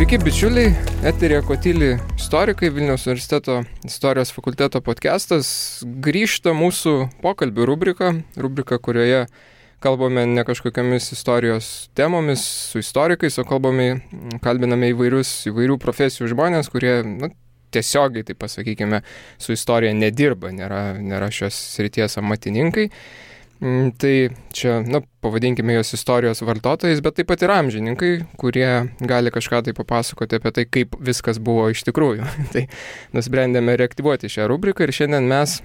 Sveiki, bičiuliai, eteryje Kotyli istorikai, Vilniaus universiteto istorijos fakulteto podcastas. Grįžta mūsų pokalbių rubrika, kurioje kalbame ne kažkokiamis istorijos temomis su istorikais, o kalbiname įvairių profesijų žmonės, kurie tiesiogiai, taip pasakykime, su istorija nedirba, nėra šios srities amatininkai. Tai čia, pavadinkime jos istorijos vartotojais, bet taip pat ir amžininkai, kurie gali kažką tai papasakoti apie tai, kaip viskas buvo iš tikrųjų. Tai nusprendėme reaktyvuoti šią rubriką ir šiandien mes,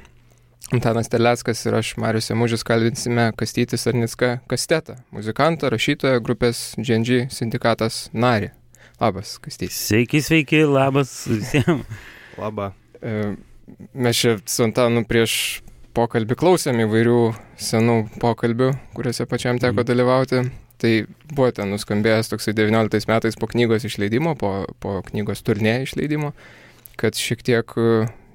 Antanas Terleckas ir aš, Marius Jamužis, kalbinsime Kastytį Sarnicką Kastetą, muzikantą, rašytoją, grupės GNG sindikatas narį. Labas, Kastyti. Sveiki, labas visiems. Labą. Mes čia su Antanu prieš pokalbį klausėm įvairių senų pokalbių, kuriuose pačiam teko dalyvauti. Tai buvo ten nuskambėjęs toksai 19 metais po knygos išleidimo, po knygos turnė išleidimo, kad šiek tiek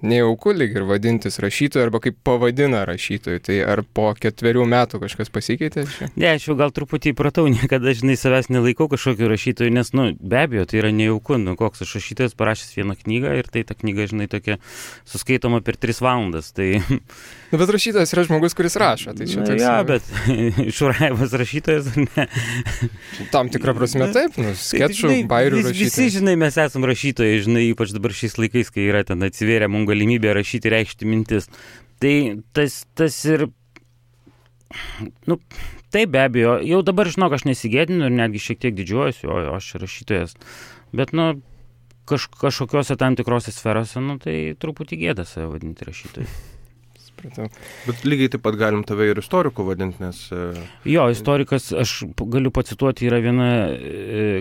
nejauku lyg ir vadintis rašytoju arba kaip pavadina rašytoju. Tai ar po 4 metų kažkas pasikeitė? Ne, aš jau gal truputį įpratau, niekada, savęs nelaikau kažkokiu rašytoju, nes, be abejo, tai yra nejauku, koks aš rašytojas parašęs vieną knygą ir tai ta knyga, tokia suskaitoma per 3 valandas, tai... Bet rašytojas yra žmogus, kuris rašo, tai čia toks... bet Šurajevas rašytojas, ar ne? Tam tikrą prasme taip, skečų, bairių rašytojas. Visi, mes esam rašytojai, ypač dabar šiais laikais, kai yra ten atsivėrė mums galimybė rašyti, reikšti mintis. Tai tas ir... Tai be abejo, jau dabar, aš nesigėdinu ir netgi šiek tiek didžiuojuosi, o aš rašytojas. Bet, kažkokiuose tam tikrose sferose, tai truputį gėda save vadinti rašytoju. Bet lygiai taip pat galim tave ir istoriku vadinti, nes... Jo, istorikas, aš galiu pacituoti, yra viena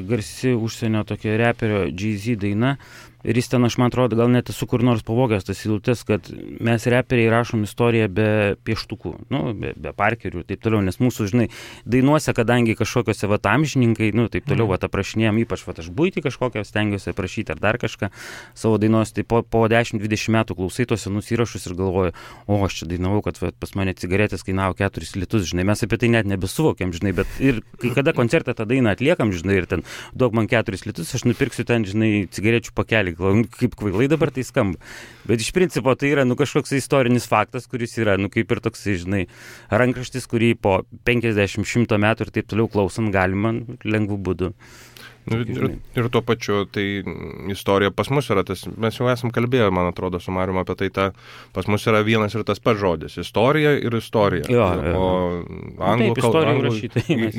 garsi užsienio tokia reperio Jay-Z daina. Ir jis ten, aš man atrodo, gal net esu kur nors pavogęs tas eilutes, kad mes reperiai rašom istoriją be pieštukų, be parkerių ir taip toliau, nes mūsų, dainuose, kadangi kažkokiose amžininkai, taip toliau, aprašinėjom, ypač aš buitį kažkokią stengiuosi aprašyti ar dar kažką savo dainos, tai po 10-20 metų klausai tos senus įrašus ir galvoju, aš čia dainavau, kad pas mane cigaretės kainavo 4 litus, mes apie tai net nebesuvokiam, bet ir kai kada koncerte tą dainą atliekam, ir ten duok man 4 litus, aš nupirksiu ten, cigarečių pakelį. Kaip kvailai dabar tai skamba. Bet iš principo tai yra kažkoks istorinis faktas, kuris yra, kaip ir toks, rankraštis, kurį po 50-100 metų ir taip toliau klausant galima lengvų būdų. Ir tuo pačiu, tai istorija pas mus yra tas, mes jau esam kalbėję, man atrodo, su Marium apie tai, pas mus yra vienas ir tas pats žodis, istorija ir istorija. Jo. O anglų kalba,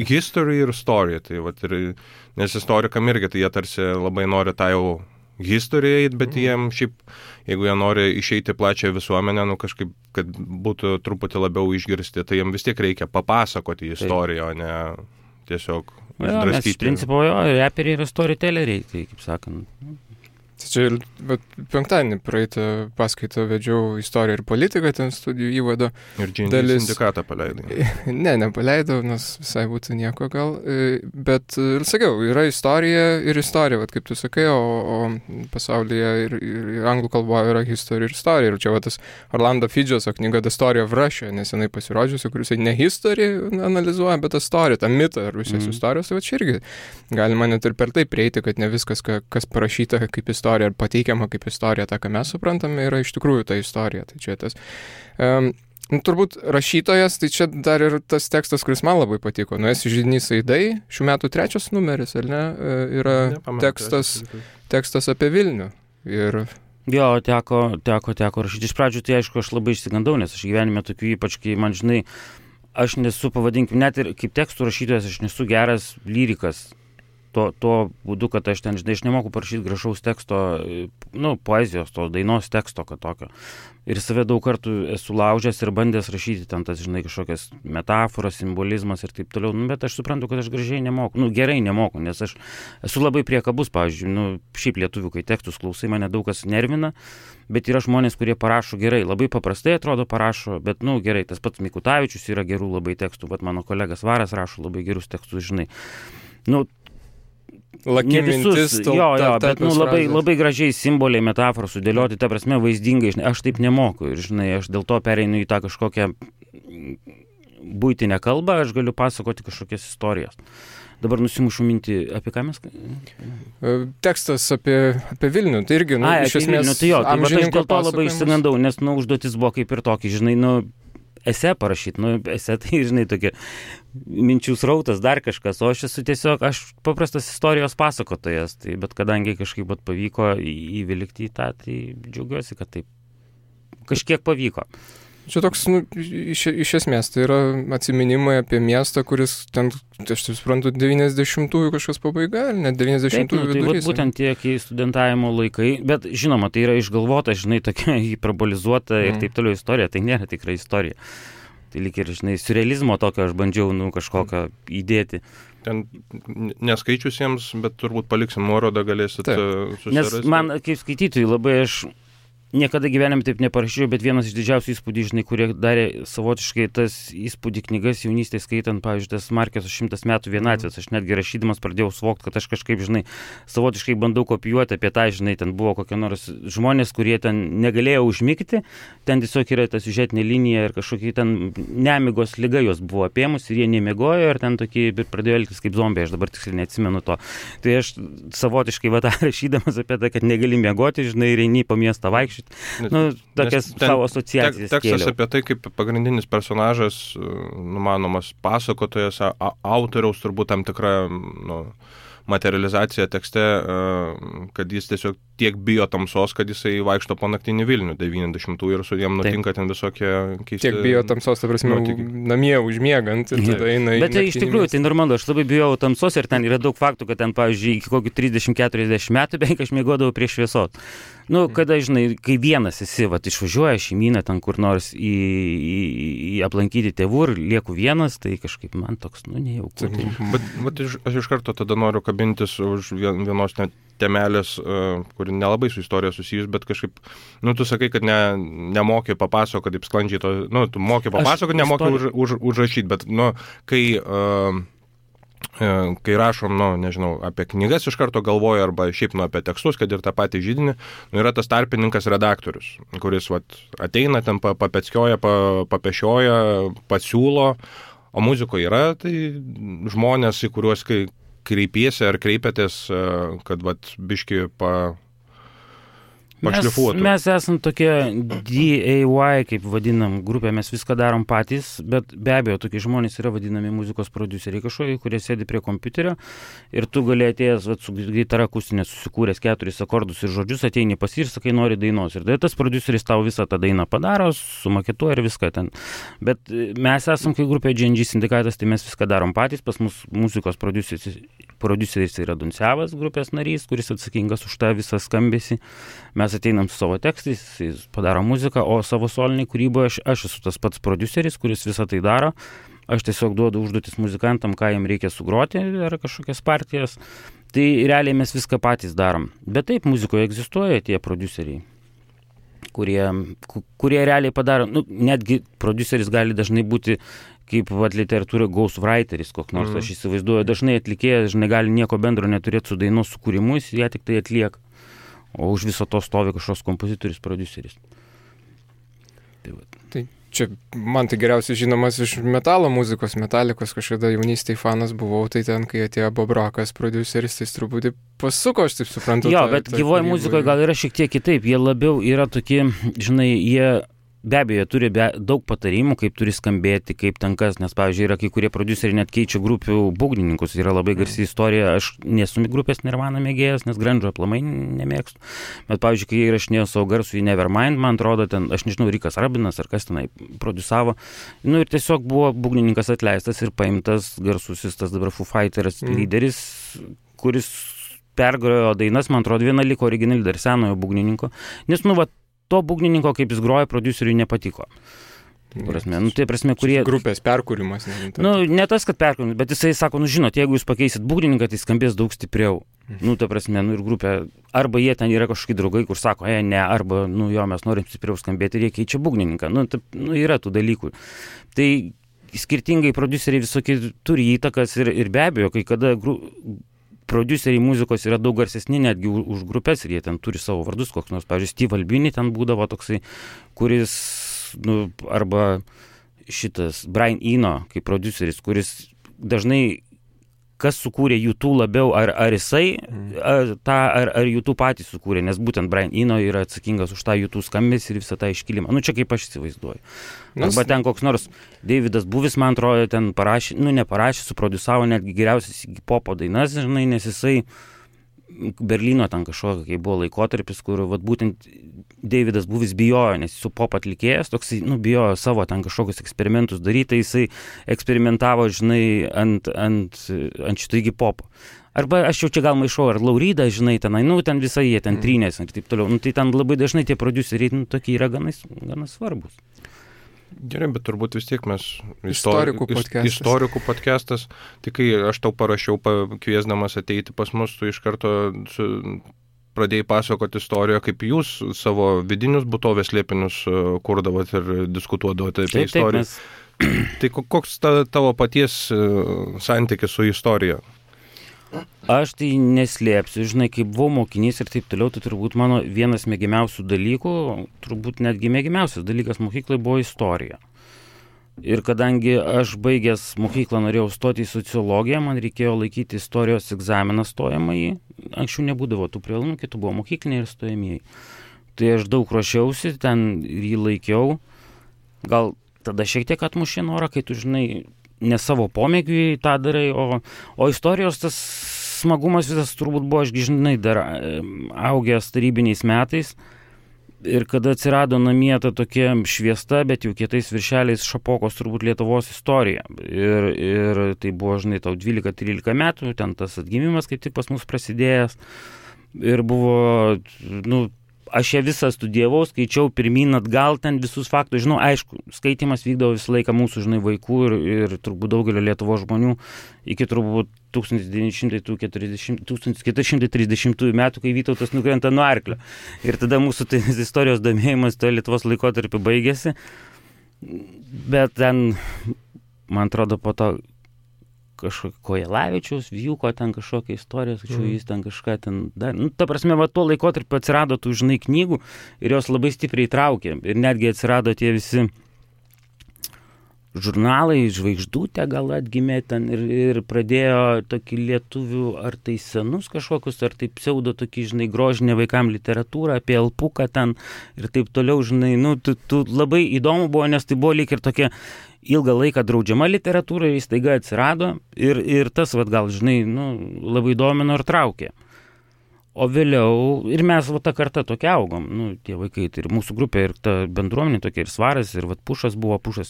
history ir istorija, tai nes istorikam irgi, tai jie tarsi labai nori tą jau historiją, bet jiems šiaip, jeigu jie nori išeiti plačią visuomenę, kažkaip, kad būtų truputį labiau išgirsti, tai jiems vis tiek reikia papasakoti istoriją, o ne tiesiog išdraskyti. Nes iš principo, reperiai yra storytelleriai, tai kaip sakant. Čia penktadienį praeitą paskaitą vedžiau istoriją ir politiką, ten studijų įvado. Ir GNG sindikatą paleidai. Ne, nepaleidau, nes visai būtų nieko gal. Bet, sakiau, yra istorija ir istorija, kaip tu sakai, o pasaulyje ir anglų kalboje yra history ir istorija. Ir čia tas Orlando Fidžeso knyga The Story of Russia, nesenai pasirodžiusi, kuris ne history analizuoja, bet istoriją, tą mitą Rusijos istorijos. Tai čia irgi galima net ir per tai prieiti, kad ne viskas, kas parašyta kaip istorija, ar pateikiama kaip istorija, tą, ką mes suprantame, yra iš tikrųjų ta istorija. Tai čia tas... turbūt rašytojas, tai čia dar ir tas tekstas, kuris man labai patiko. Esi židinys Aidai, šių metų 3 numeris, ar ne? Yra tekstas apie Vilnių. Ir... Jo, teko rašyti. Iš pradžių tai aišku, aš labai išsigandau, nes aš gyvenime tokių, ypač kai man, aš nesu, pavadinkim, net ir kaip tekstų rašytojas, aš nesu geras lyrikas. Tuo būdu, kad aš ten, aš nemoku parašyti gražaus teksto, poezijos, to dainos teksto, kad tokio. Ir save daug kartų esu laužęs ir bandęs rašyti ten tas, kažkokias metaforas, simbolizmas ir taip toliau. Bet aš suprantu, kad aš gražiai nemoku, gerai nemoku, nes aš esu labai priekabus, pavyzdžiui, šiaip lietuvių, kai tekstus klausai, mane daug kas nervina, bet yra žmonės, kurie parašo gerai, labai paprastai atrodo parašo, bet, gerai, tas pats Mikutavičius yra gerų labai tekstų, mano kolegas Varas rašo labai gerus tekstus, Laki mintis, bet labai gražiai simboliai, metaforos sudėlioti, ta prasme vaizdingai, aš taip nemoku ir, aš dėl to pereinu į tą kažkokią buitinę kalbą, aš galiu pasakoti kažkokias istorijas. Dabar nusimušu mintį, apie ką mes? Tekstas apie Vilnių, tai irgi, iš esmės, Vilnių, tai jo, tai aš dėl to labai išsigandau, nes, užduotis buvo kaip ir tokį, žinai, esė parašyti, esė tai, žinai, tokia minčių srautas, dar kažkas, o aš esu tiesiog, aš paprastas istorijos pasakotojas, tai, bet kadangi kažkaip pavyko įvilkti į tą, tai džiaugiuosi, kad taip kažkiek pavyko. Čia toks, iš esmės, tai yra atsiminimai apie miestą, kuris ten, aš taip suprantu, 90-ųjų kažkas pabaiga, net 90-ųjų vidurys. Tai būtent tiek į studentavimo laikai, bet žinoma, tai yra išgalvota, žinai, tokia hiperbolizuota ir taip toliau istorija, tai nėra tikra istorija. Tai lyg ir, žinai, surrealizmo tokio aš bandžiau, kažkokią įdėti. Ten neskaičiusiems, bet turbūt paliksim nuorodą, galėsit susirasti. Nes man, kaip skaitytojai, labai aš niekada gyvenime taip neparašiau, bet vienas iš didžiausių įspūdį, žinai, kurie darė savotiškai tas įspūdį knygas jaunystėje skaitant, pavyzdžiui, tas Markeso 100 metų vienatvės. Aš netgi rašydamas pradėjau suvokti, kad aš kažkaip, žinai, savotiškai bandau kopijuoti apie tą, žinai, ten buvo kokie nors žmonės, kurie ten negalėjo užmigti, ten tiesiog yra ta siužetinė linija ir kažkokie ten nemigos liga jos buvo apėmus ir jie nemiegojo ir ten tokie pradėjo elgtis kaip zombiai, aš dabar tiksliai neatsimenu to. Tai aš savotiškai tą rašydamas apie tai, kad negali miegoti, žinai, ir eini po miestą vaikščioti. Tokias savo asociacijas tekstas apie tai, kaip pagrindinis personažas, numanomas pasakotojas, autoriaus turbūt tam tikra materializacija tekste, kad jis tiesiog tiek bijo tamsos, kad jisai vaikšto po naktinį Vilnių 90-ųjų ir su jiem nutinka ten visokie keisti. Tiek bijo tamsos, ta prasme, namie užmiegant ir tada eina į bet tai iš tikrųjų, tai normalu, aš labai bijau tamsos ir ten yra daug faktų, kad ten, pavyzdžiui, iki kokių 30-40 metų beveik aš miegodavau prie šviesos. Kada, žinai, kai vienas esi, išvažiuoja šeimyną ten kur nors į aplankyti tėvų ir lieku vienas, tai kažkaip man toks, nejauku. Bet aš iš karto tada noriu kabintis už vienos temelės, kuri nelabai su istorija susijus, bet kažkaip, tu sakai, kad nemoki papasakoti, kaip sklandžiai to, tu moki papasakoti, nemoki užrašyti, bet, kai rašom, nežinau, apie knygas iš karto galvoju, arba šiaip apie tekstus, kad ir tą patį židinį, yra tas tarpininkas redaktorius, kuris ateina, ten papečkioja, papešioja, pasiūlo, o muzikoje yra tai žmonės, į kuriuos kreipiesi ar kreipiatės, kad biški pašlifuotų. Mes esam tokie DIY, kaip vadinam, grupė, mes viską darom patys, bet be abejo, tokie žmonės yra vadinami muzikos prodiuseriai kažkokie, kurie sėdi prie kompiuterio ir tu gali atėjęs su gitara akustinė, susikūręs 4 akordus ir žodžius, ateini pas jį ir sakai, nori dainos. Ir tas prodiuseris tau visą tą dainą padaro, sumaketuoja ir viską ten. Bet mes esam kaip grupė GNG sindikatas, tai mes viską darom patys, pas mus muzikos prodiuseris yra Dunsevas, grupės narys, kuris atsakingas už tą visą skambesį. Mes ateinam su savo tekstais, jis padaro muziką, o savo soliniai kūryboje aš esu tas pats prodiuseris, kuris visą tai daro. Aš tiesiog duodu užduotis muzikantam, ką jiem reikia sugroti ar kažkokias partijas. Tai realiai mes viską patys darom. Bet taip, muzikoje egzistuoja tie prodiuseriai, kurie realiai padaro. Netgi prodiuseris gali dažnai būti kaip literatūra ghostwriteris koks nors, aš įsivaizduoju, dažnai atlikėjas gali nieko bendro neturėti su dainos sukūrimu, jis ją tik tai atlieka. O už viso to stovi kažkoks kompozitorius, prodiuseris. Tai čia man tai geriausiai žinomas iš metalo muzikos, Metalikos, kažkada jaunystėje fanas buvau, tai ten, kai atėjo Bob Rockas prodiuseris, tai truputį pasuko, aš taip suprantu. Jo, bet gyvoje muzikoje gal yra šiek tiek kitaip, jie labiau yra tokie, žinai, jie be abejo turi daug patarimų, kaip turi skambėti, kaip ten kas, nes, pavyzdžiui, yra kai kurie prodiuseriai net keičia grupių būgnininkus, yra labai garsi istorija, aš nesu grupės Nirvana mėgėjas, nes grandžo aplamai nemėgstu, bet, pavyzdžiui, kai jie įrašinėjo savo garsų į Nevermind, man atrodo, ten, aš nežinau, Rikas Rabinas ar kas tenai prodiusavo, ir tiesiog buvo būgnininkas atleistas ir paimtas garsusis tas dabar Foo Fighters lyderis, kuris pergrojo dainas, man atrodo, viena liko originali dar senojo būgnininko, nes, to būgnininko, kaip jis groja, prodiuseriui nepatiko. Tai prasme, kurie... Grupės perkūrimas. Ne tas, kad perkūrimas, bet jisai sako, žinot, jeigu jūs pakeisit būgnininką, tai skambės daug stipriau. Ta prasme, ir grupė, arba jie ten yra kažkokie draugai, kur sako, ne, arba, mes norim stipriau skambėti ir jie keičia būgnininką. Yra tų dalykų. Tai skirtingai prodiuseriai visokie turi įtakas ir be abejo, kai kada prodiuseriai muzikos yra daug garsesni netgi už grupės ir jie ten turi savo vardus, koks nors, pavyzdžiui, Steve Albini ten būdavo toksai, kuris, arba šitas Brian Eno, kaip produceris, kuris dažnai kas sukūrė YouTube labiau, ar jisai ar YouTube patys sukūrė, nes būtent Brian Eno yra atsakingas už tą YouTube skambesį ir visą tą iškilimą. Čia kaip aš įsivaizduoju. Arba ten koks nors Davidas Buvis, man atrodo, ten neparašė, suproducavo netgi geriausias popo dainas, žinai, nes jisai Berlyno ten kažkokio, kai buvo laikotarpis, kur būtent Davidas Buvis bijojo, nes jis su pop atlikėjas, toks, bijojo savo ten kažkokius eksperimentus daryti, jisai eksperimentavo, žinai, ant šito įgi popo. Arba aš jau čia gal maišau, ar Lauridą, žinai, tenai, ten visai jie ten trynės ir taip toliau. Tai ten labai dažnai tie prodiuseriai, tokie yra gana svarbus. Gerai, bet turbūt vis tiek mes istorikų podcastas. Tik kai aš tau parašiau, kviesdamas ateiti pas mus, tu iš karto pradėjai pasakoti istoriją, kaip jūs savo vidinius būtovės slėpinius kurdavot ir diskutuodavote apie istoriją. Tai koks tavo paties santykis su istorija? Aš tai neslėpsiu, žinai, kaip buvau mokinys ir taip toliau, tai turbūt mano vienas mėgiamiausių dalykų, turbūt netgi mėgiamiausias dalykas mokyklai buvo istorija. Ir kadangi aš baigęs mokyklą norėjau stoti į sociologiją, man reikėjo laikyti istorijos egzaminą stojamąjį. Anksčiau nebūdavo tų privalumų, kitų buvo mokykliniai ir stojamieji. Tai aš daug ruošiausi, ten jį laikiau. Gal tada šiek tiek atmušė norą, kai tu, žinai, ne savo pomėgiui tą darai, o istorijos tas smagumas visas turbūt buvo, aš žinai, dar augęs tarybiniais metais ir kada atsirado namie ta tokia šviesta, bet jau kietais viršeliais Šapokos turbūt Lietuvos istorija. Ir tai buvo, žinai, tau 12-13 metų, ten tas atgimimas kaip tik pas mus prasidėjęs ir buvo, aš ją visą studijavau, skaičiau pirmyn atgal, ten visus faktus, žinau, aišku, skaitimas vykdavo visą laiką mūsų, žinai, vaikų ir turbūt daugelio Lietuvos žmonių iki turbūt 1430 metų, kai Vytautas nukrenta nuo arklio. Ir tada mūsų istorijos domėjimas toje Lietuvos laikotarpiu baigėsi. Bet ten, man atrodo, po to kažkokio Kojelavičiaus, Vijūko ten kažkokia istorija, tačiau jis ten kažką ten dar. Ta prasme, tuo laikotarpiu atsirado tų, žinai, knygų ir jos labai stipriai traukė. Ir netgi atsirado tie visi žurnalai, Žvaigždutė gal atgimė ten ir pradėjo tokį lietuvių, ar tai senus kažkokius, ar tai pseudo tokį, žinai, grožinę vaikam literatūrą apie Alpuką ten ir taip toliau, žinai, tu labai įdomu buvo, nes tai buvo lyg ir tokia ilgą laiką draudžiama literatūra, jis staiga atsirado ir tas, gal, žinai, labai domino ir traukė. O vėliau, ir mes tą kartą tokia augom, tie vaikai, tai ir mūsų grupė, ir ta bendruomenė tokia, ir Svaras, ir Pušas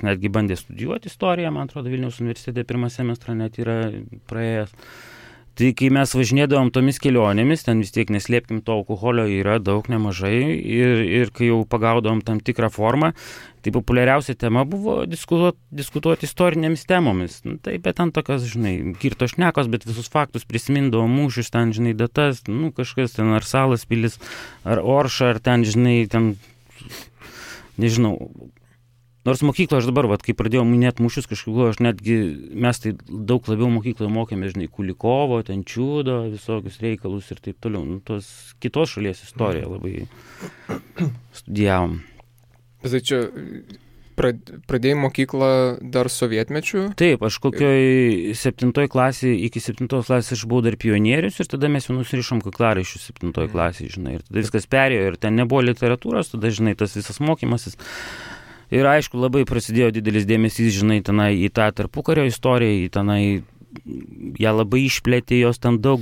netgi bandė studijuoti istoriją, man atrodo, Vilniaus universitete pirmą semestrą net yra praėjęs. Tai kai mes važinėdavom tomis kelionėmis, ten vis tiek neslėpkim, to alkoholio yra daug nemažai ir kai jau pagaudavom tam tikrą formą, tai populiariausia tema buvo diskutuoti istorinėmis temomis. Tai bet ten tokios, žinai, girto šnekos, bet visus faktus prisimindavo mūšius, ten, žinai, datas, kažkas ten ar Salas pilis, ar Orša, ar ten, žinai, ten, nežinau. Nors mokykloje aš dabar, kai pradėjau minėti mūšius, kažkaip mes tai daug labiau mokykloje mokėme, žinai, Kulikovo, ten Čiūdo, visokius reikalus ir taip toliau. Tos kitos šalies istoriją labai studijavom. Tai čia pradėjai mokyklą dar sovietmečiu? Taip, aš kokioj 7 klasėje, iki 7 klasės aš buvau dar pionierius ir tada mes jau nusirišom kaklaraiščius 7 klasėje, žinai, ir tada viskas perėjo ir ten nebuvo literatūros, tada, žinai, tas visas mokymasis. Ir aišku, labai prasidėjo didelis dėmesys, žinai, tenai į tą tarpukario istoriją, į tenai, ją labai išplėtė, jos ten daug,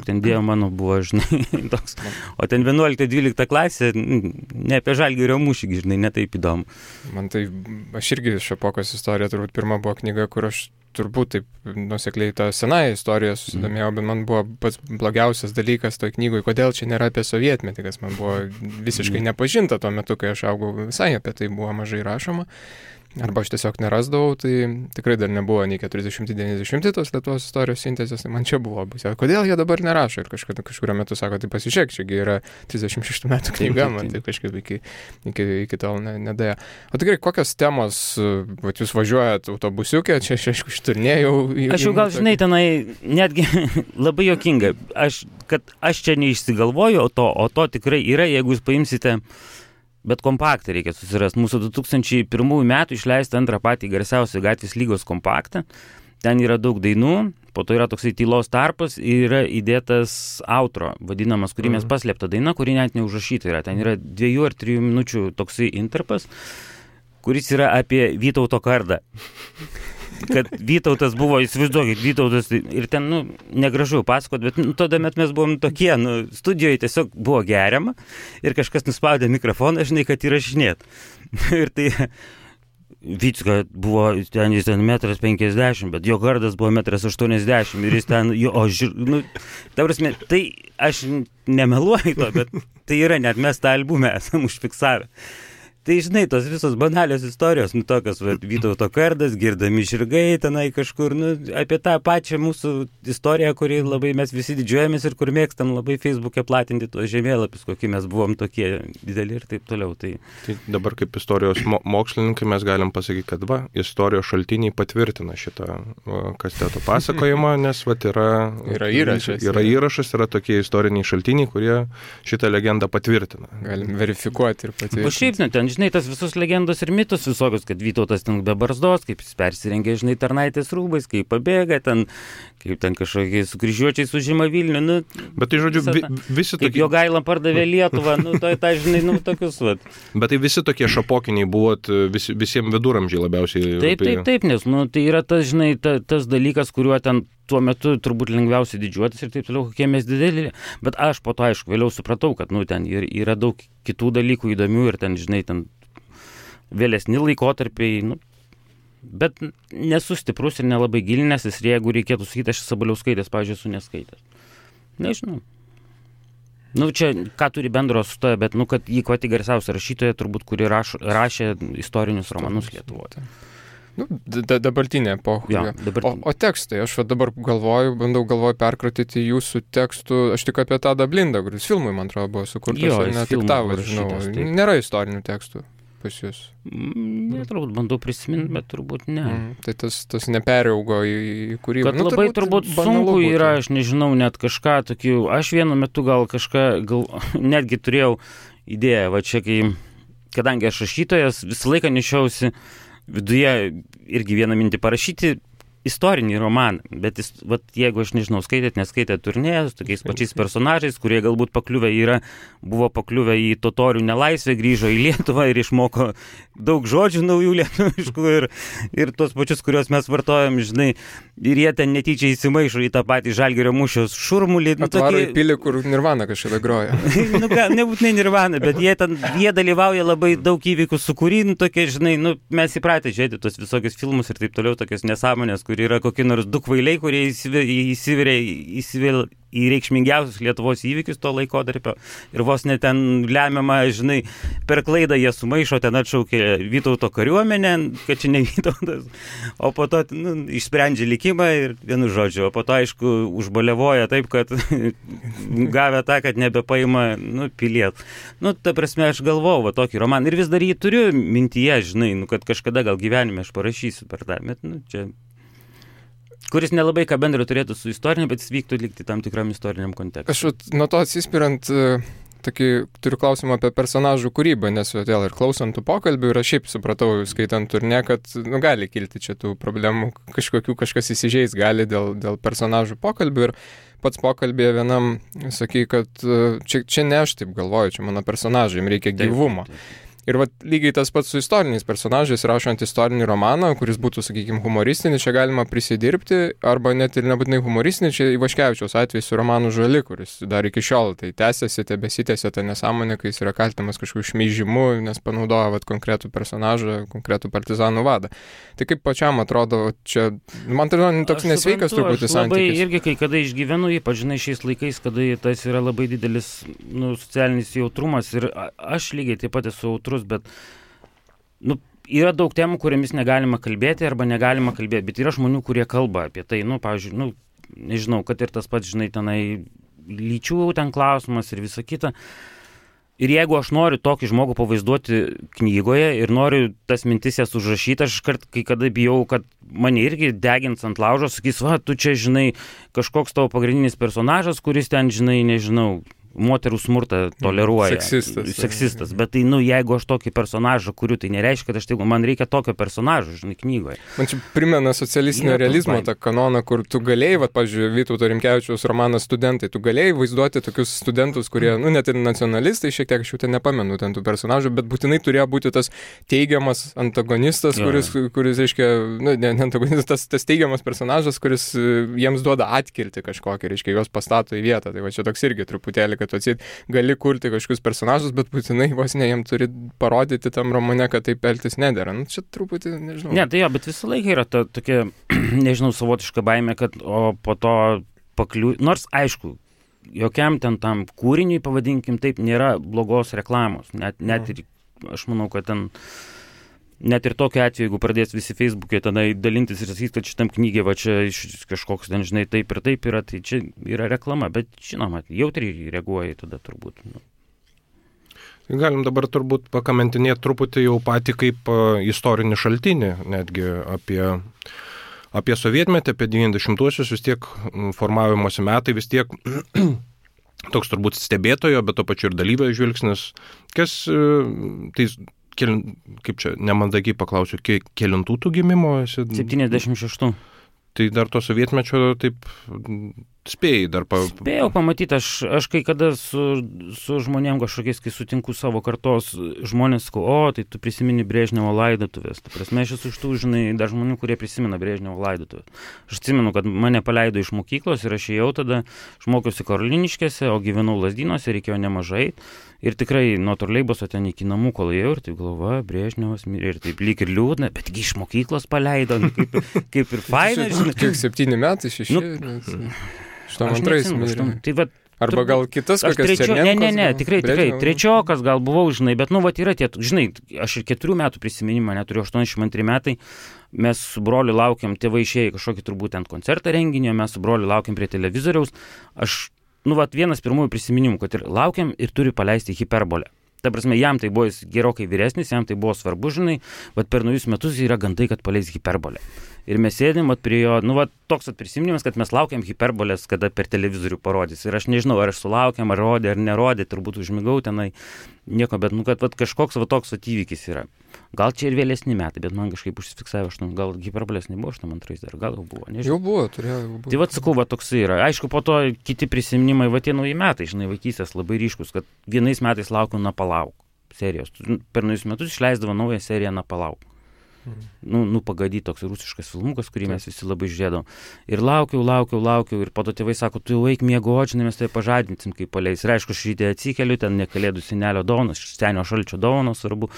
ten Dievo mano buvo, žinai, toks. O ten 11-12 klasė, ne apie Žalgirio mūšį, žinai, netaip įdomu. Man tai, aš irgi Šapokos istorija, turbūt pirma buvo knyga, kur aš turbūt taip nusekliai tą senąją istoriją susidomėjau, bet man buvo pats blogiausias dalykas toj knygoj, kodėl čia nėra apie sovietmetį, kas man buvo visiškai nepažinta tuo metu, kai aš augau, visai apie tai buvo mažai rašoma. Arba aš tiesiog nerasdavau, tai tikrai dar nebuvo nei 40-90 tos Lietuvos istorijos sintezės, tai man čia buvo pusė. Kodėl jie dabar nerašo? Ir kažkurio metu sako, tai pasižiūrėk, čiagi yra 36 metų knyga, man tai kažkaip iki tol nedėjo. O tikrai, kokios temos, jūs važiuojat autobusiuke, čia aš aišku išturniejau. Aš jau gal, žinai, tenai netgi labai juokinga, kad aš čia neišsigalvoju, o to tikrai yra, jeigu jūs paimsite Bet kompaktą reikia susirasti. Mūsų 2001 metų išleista antrą patį garsiausią Gatvės lygos kompaktą. Ten yra daug dainų, po to yra toksai tylos tarpas ir yra įdėtas outro, vadinamas, kurį mes paslėpta daina, kuri net neužrašyta yra. Ten yra 2 ar 3 minučių toksai intarpas, kuris yra apie Vytauto kardą. Kad Vytautas buvo, įsivaizduokit, Vytautas ir ten, negražu pasakot, bet tada mes buvom tokie, studijoje tiesiog buvo geriama ir kažkas nuspaudė mikrofoną, žinai, kad įrašinėt. Ir tai Vycka buvo, jis ten 1,50 m, bet jo kardas buvo 1,80 m ir jis ten, ta prasme, tai aš nemeluoju to, bet tai yra, net mes tą albumą esam užfiksavę. Tai žinai, tos visos banalios istorijos, tokios, Vytauto kardas, girdami žirgai tenai kažkur, apie tą pačią mūsų istoriją, kurį labai mes visi didžiuojamės ir kur mėgstam labai Facebook'e platinti tuos žemėlapius, kokie mes buvom tokie dideli ir taip toliau. Tai dabar kaip istorijos mokslininkai mes galim pasakyti, kad istorijos šaltiniai patvirtina šitą kasteto pasakojimą, nes yra įrašas, yra tokie istoriniai šaltiniai, kurie šitą legendą patvirtina. Galim verifikuoti ir patvirtinti. O šiaip ten, žinai, tas visus legendos ir mitus visokius, kad Vytautas ten be barzdos, kaip jis persirengė, žinai, tarnaitės rūbais, kaip pabėga ten, kaip ten kažkokiai su kryžiuočiais užima Vilnių, Bet tai, žodžiu, visi tokie... Kaip Jogaila pardavė Lietuvą, žinai, tokius, Bet tai visi tokie šapokiniai buvot visiems viduramžiai labiausiai. Taip, nes, tai yra tas, žinai, tas dalykas, kuriuo ten tuo metu turbūt lengviausiai didžiuotis ir taip toliau, kokie mes dideli. Bet aš po to, aišku, vėliau supratau, kad, ten yra daug kitų dalykų įdomių ir ten, žinai, ten vėlesni laikotarpiai, bet nesu stiprus ir nelabai gilinęsis ir jeigu reikėtų sakyti, aš Sabaliauskaitės, pavyzdžiui, esu neskaitęs. Nežinau. Čia ką turi bendro su to, bet, kad jį pati garsiausia rašytoja, turbūt, kuri rašė istorinius romanus Lietuvoje. Dabartinė epocha. O tekstai, aš dabar bandau perkratyti jūsų tekstų, aš tik apie Tadą Blindą, kuris filmui, man atrodo, buvo sukurtas, nediktavas, žinau. Nėra istorinių tekstų pas jūs. Turbūt bandau prisiminti, bet turbūt ne. Tai tas neperaugo į kūrybą. Kad labai turbūt sunku yra, aš nežinau, net kažką tokių, aš vienu metu gal netgi turėjau idėją, čia kadangi aš rašytojas, visą laiką nešiausi viduje irgi vieną mintį parašyti istorinį romaną, bet jeigu aš nežinau, neskaitėt Turnėjus, tokiais pačiais personažais, kurie galbūt buvo pakliuvę į totorių nelaisvę, grįžo į Lietuvą ir išmoko daug žodžių naujų lietuviškų ir tos pačius, kuriuos mes vartojam, žinai, ir jie ten netyčia įsimaišo į tą patį Žalgirio mūšio šurmulį. Atvaro į pilį, kur Nirvana kažkada groja. Nebūtinai Nirvana, bet jie dalyvauja labai daug įvykių sukūry, tokie, žinai, mes įpratę žiūrėti tos visokius filmus ir taip toliau, tokias nesąmonės, kur yra kokie nors du kvailiai, kurie įsivelia į reikšmingiausius Lietuvos įvykius to laikotarpio ir vos net ten lemiamą, žinai, per klaidą jie sumaišo, ten atšaukė Vytauto kariuomenę, kad čia ne Vytautas, o po to išsprendžia likimą ir vienu žodžiu, o po to, aišku, užbalevoja taip, kad gavę tą, kad nebepaima, piliet. Ta prasme, aš galvojau tokį romaną ir vis dar jį turiu mintyje, žinai, kad kažkada gal gyvenime aš parašysiu per tą, bet, čia... kuris nelabai ką bendro turėtų su istoriniu, bet jis vyktų likti tam tikram istoriniam kontekstui. Aš nuo to atsispirant, turiu klausimą apie personažų kūrybą, nes vėl ir klausant tų pokalbių ir aš šiaip supratau, skaitant Turnė, kad gali kilti čia tų problemų, kažkas įsižeis gali dėl personažų pokalbių ir pats pokalbėje vienam sakai, kad čia ne aš taip galvoju, čia mano personažai, jiems reikia gyvumo. Ir lygiai tas pats su istoriniais personažais, rašant istorinį romaną, kuris būtų, sakykime, humoristinis, čia galima prisidirbti, arba net ir nebūtinai humoristinis, čia Ivaškevičiaus atvejs su romanu Žali, kuris dar iki šiol tai tęsiasi, besitęsia ta nesąmonė, kai jis yra kaltinamas kažkokiu šmeižimu, nes panaudoja konkretų personažą, konkretų partizanų vadą. Tai kaip pačiam atrodo, čia, man atrodo, toks nesveikas truputį santykis. Labai irgi, kai kada išgyvenu, ypač žinai šiais laikais, kada tas yra labai didelis socialinis jautrumas ir aš lygiai taip pat esu jautrus, bet yra daug temų, kuriamis negalima kalbėti arba negalima kalbėti, bet yra žmonių, kurie kalba apie tai, pavyzdžiui, nežinau, kad ir tas pats, žinai, tenai lyčių ten klausimas ir visa kita. Ir jeigu aš noriu tokį žmogų pavaizduoti knygoje ir noriu tas mintis jas užrašyti, aš kai kada bijau, kad mane irgi degins ant laužo, sakys, tu čia, žinai, kažkoks tavo pagrindinis personažas, kuris ten, žinai, nežinau, moterų smurtą toleruoja. Seksistas. Bet tai, jeigu aš tokį personažą kuriu, tai nereiškia, kad man reikia tokio personažo, žinai, knygoje. Man čia primena socialistinio realizmo tą kanoną, kur tu galėjai, pavyzdžiui, Vytauto Rimkevičiaus romanas Studentai, tu galėjai vaizduoti tokius studentus, kurie, net ir nacionalistai, šiek tiek aš jau ten nepamenu ten tų personažų, bet būtinai turėjo būti tas teigiamas antagonistas, kuris reiškia, ne antagonistas, tas teigiamas personažas, kuris jiems duoda atkirti kažkokį, reiškia, juos pastato į vietą. Tai va čia toks irgi truputėlį, kad atsit gali kurti kažkokius personažus, bet būtinai vos ne jiem turi parodyti tam romane, kad taip elgtis nedėra. Čia truputį, nežinau. Ne, tai bet visą laiką yra tokia, nežinau, savotiška baimė, kad po to nors aišku, jokiam ten tam kūriniui, pavadinkim taip, nėra blogos reklamos. Net ir, aš manau, kad ten net ir tokiu atveju, jeigu pradės visi Facebook'e tenai dalintis ir sakys, kad šitam knygė, va čia kažkoks ten, žinai, taip ir taip yra, tai čia yra reklama, bet žinoma, jautriai reaguoja tada turbūt. Galim dabar turbūt pakamentinėti truputį jau patį kaip istorinį šaltinį, netgi apie sovietmetį, apie 90-uosius, vis tiek formavimosi metai, vis tiek toks turbūt stebėtojo, bet to pačiu ir dalyvio žvilgsnis, kas tai kaip čia, nemandagiai paklausiu, kelintų tų gimimo esi? 76. Tai dar to sovietmečio taip spėjai dar Spėjau pamatyti, aš kai kada su žmonėm kažkokiais, kai sutinku savo kartos žmonės, tai tu prisimeni Brežnevo laidotuvės. Ta prasme, aš esu iš tų, žinai, dar žmonių, kurie prisimena Brežnevo laidotuvės. Aš atsimenu, kad mane paleido iš mokyklos ir aš ėjau tada, aš mokiausi Karoliniškėse, o gyvenau Lazdynuose, reikėjo nemažai. Ir tikrai nuo troleibuso ten iki namų, kol ėjau, ir taip galvoju, Brežnevas mirė, ir taip lyg ir liūdna, bet iš mokyklos paleido, kaip ir faina. Kiek 7 metai, 6? 82 mirė. Tai vat, arba gal kitas kokias Černenkos? Ne, tikrai, trečiokas gal buvau, žinai, bet yra tie, žinai, aš ir 4 metų prisiminimą neturiu, 82 metai, mes su broliu laukiam, tėvai išėjo kažkokį turbūt ant koncertą renginio, mes su broliu laukiam prie televizoriaus, vienas pirmųjų prisiminimų, kad ir laukiam ir turi paleisti Hiperbolę. Ta prasme, jam tai buvo gerokai vyresnis, jam tai buvo svarbu, žinai, per naujus metus yra gandai, kad paleis Hiperbolę. Ir mes sėdėm prie jo, toks prisiminimas, kad mes laukiam Hiperbolės, kada per televizorių parodys. Ir aš nežinau, ar aš sulaukiam, ar rodė, ar nerodė, turbūt užmigau tenai, nieko, bet kad kažkoks toks įvykis yra. Gal čia ir vėlesni metai, bet man kažkaip užsifiksavo, gal Hiperbolės nebuvo 82 dar, gal jau buvo, nežinau. Jau buvo, turėjau. Tai sakau, toks yra. Aišku, po to kiti prisiminimai, tie nauji metai, žinai, vaikystės labai ryškus, kad vienais metais laukiau Na palauk serijos. Per naujus metus išleisdavo naują seriją Na palauk. Pagadyt toks rusiškas filmukas, kurį mes visi labai žiūrėdavom. Ir laukiau, ir po to tėvai sako, tu jau eik miegoti, žinai, mes tai pažadinsim, kai paleis. Ir aišku, šitą atsikeliu, ten ne Kalėdų senelio dovanos, senio šalčio dovanos, svarbu.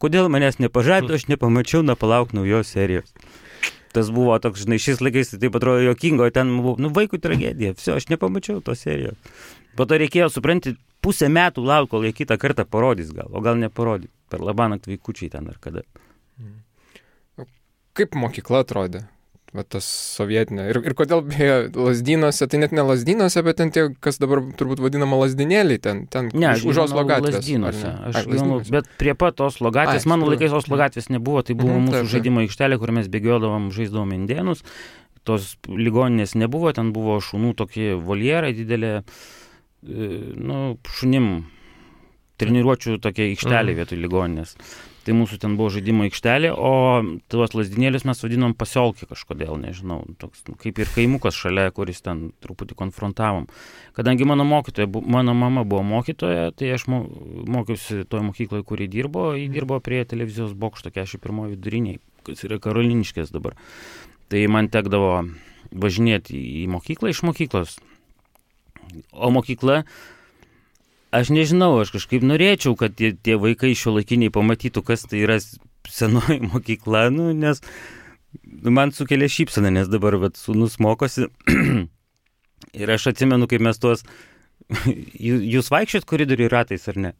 Kodėl manęs nepažadino, aš nepamačiau Na palauk naujos serijos. Tas buvo toks, žinai, šiais laikais tai taip atrodo juokingo, ten buvo, vaikų tragedija, aš nepamačiau tos serijos. Po to reikėjo, supranti, pusę metų lauk, kol jie kitą kartą parodys gal, o gal neparodys. Per labanakt vaikučiai ten ar kada. Kaip mokykla atrodė, tas sovietinė? Ir kodėl Lazdynuose, tai net ne Lazdynuose, bet ten tie, kas dabar turbūt vadinama Lazdynėliai, ten už Oslo gatvės. Lazdynuose, bet prie pat Oslo gatvės, mano laikais Oslo gatvės nebuvo, tai buvo mūsų žaidimo aikštelė, kur mes bėgiodavom, žaisdavom indėnus, tos ligoninės nebuvo, ten buvo šunų tokie voljerai didelė, šunim treniruočių tokia aikštelė vietoj ligoninės. Tai mūsų ten buvo žaidimo aikštelė, o tuos Lazdynėlius mes vadinom pasiolkį kažkodėl, nežinau, toks kaip ir kaimukas šalia, kuris ten truputį konfrontavom. Kadangi mano mama buvo mokytoja, tai aš mokiausi toje mokykloje, kur ji dirbo prie televizijos bokšto 41 viduriniai, kas yra Karoliniškės dabar. Tai man tekdavo važinėti į mokyklą iš mokyklos. O mokykla, aš nežinau, aš kažkaip norėčiau, kad tie vaikai šiuolaikiniai pamatytų, kas tai yra senoji mokykla, nes man sukelia šypseną, nes dabar sūnus mokosi. Ir aš atsimenu, kaip mes jūs vaikščiot koridorių ratais, ar ne?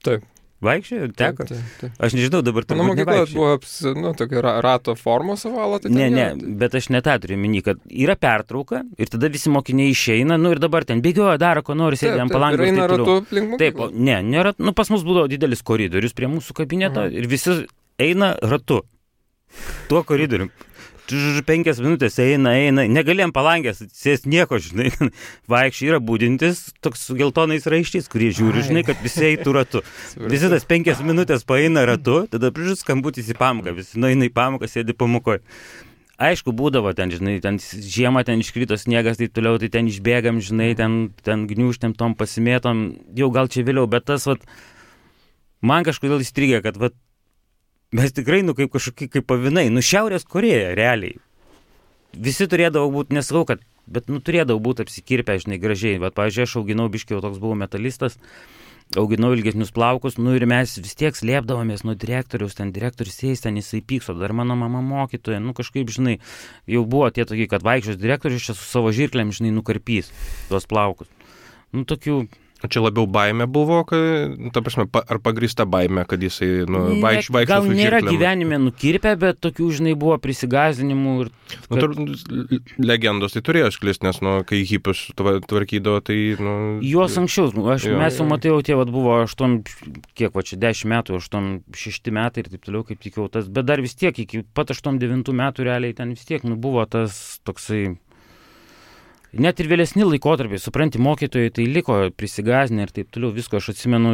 Taip. Vaikščiojo? Teko? Taip. Aš nežinau, dabar turbūt nevaikščiojo. Mano mokykla buvo tokia rato formos ovalo. Tai ne, bet aš ne tą turiu minį, kad yra pertrauka ir tada visi mokiniai išeina, ir dabar ten bėgioja, daro, ko nori, sėdė ant palangų. Ir eina ratu aplink mokyklą. Taip, nėra, pas mus buvo didelis koridorius prie mūsų kabineto ir visi eina ratu. Tuo koridorium. 5 minutės eina, negalėjom palangęs, sės nieko, žinai, vaikščiai yra būdintis, toks su geltonais raiščiais, kurie žiūri, žinai, kad visi eitų ratu. Visi tas 5 minutės paeina ratu, tada skambutis į pamoką, visi nueina į pamoką, sėdi pamokoje. Aišku, būdavo ten, žinai, ten žiemą ten iškrito sniegas, taip toliau, tai ten išbėgam, žinai, ten gniūžtėm tom pasimėtom, jau gal čia vėliau, bet tas, vat, man kažkodėl įstrigė, kad, vat, mes tikrai, kaip kažkokie, kaip pavinai, Šiaurės Korėja, realiai. Visi turėdavo būti, nesakau, kad, bet, turėdavo būti apsikirpę, žinai, gražiai. Vat, pavyzdžiui, aš auginau biškiau, toks buvau metalistas, auginau ilgesnius plaukus, ir mes vis tiek slėpdavomės nuo direktoriaus, ten direktorius eis, ten jisai pykso, dar mano mama mokytoja, kažkaip, žinai, jau buvo tie tokie, kad vaikščios direktorius čia su savo žirklėm, žinai, nukarpys tuos plaukus. Tokių... O čia labiau baimė buvo, ta prasme, ar pagrįsta baimė, kad jisai vaikščia su žirklėm? Gal nėra gyvenime nukirpę, bet tokių, žinai, buvo prisigazdinimų. Legendos tai turėjo sklisti, nes, kai hipius tvarkydavo, tai... Juos anksčiau, mes jau matėjau, tie buvo 10 metų, 6 metai ir taip toliau, kaip tikiau tas, bet dar vis tiek, iki pat 8-9 metų realiai ten vis tiek, buvo tas toksai... Net ir vėlesni laikotarpiai, supranti, mokytojai tai liko prisigazinę ir taip toliau, visko, aš atsimenu,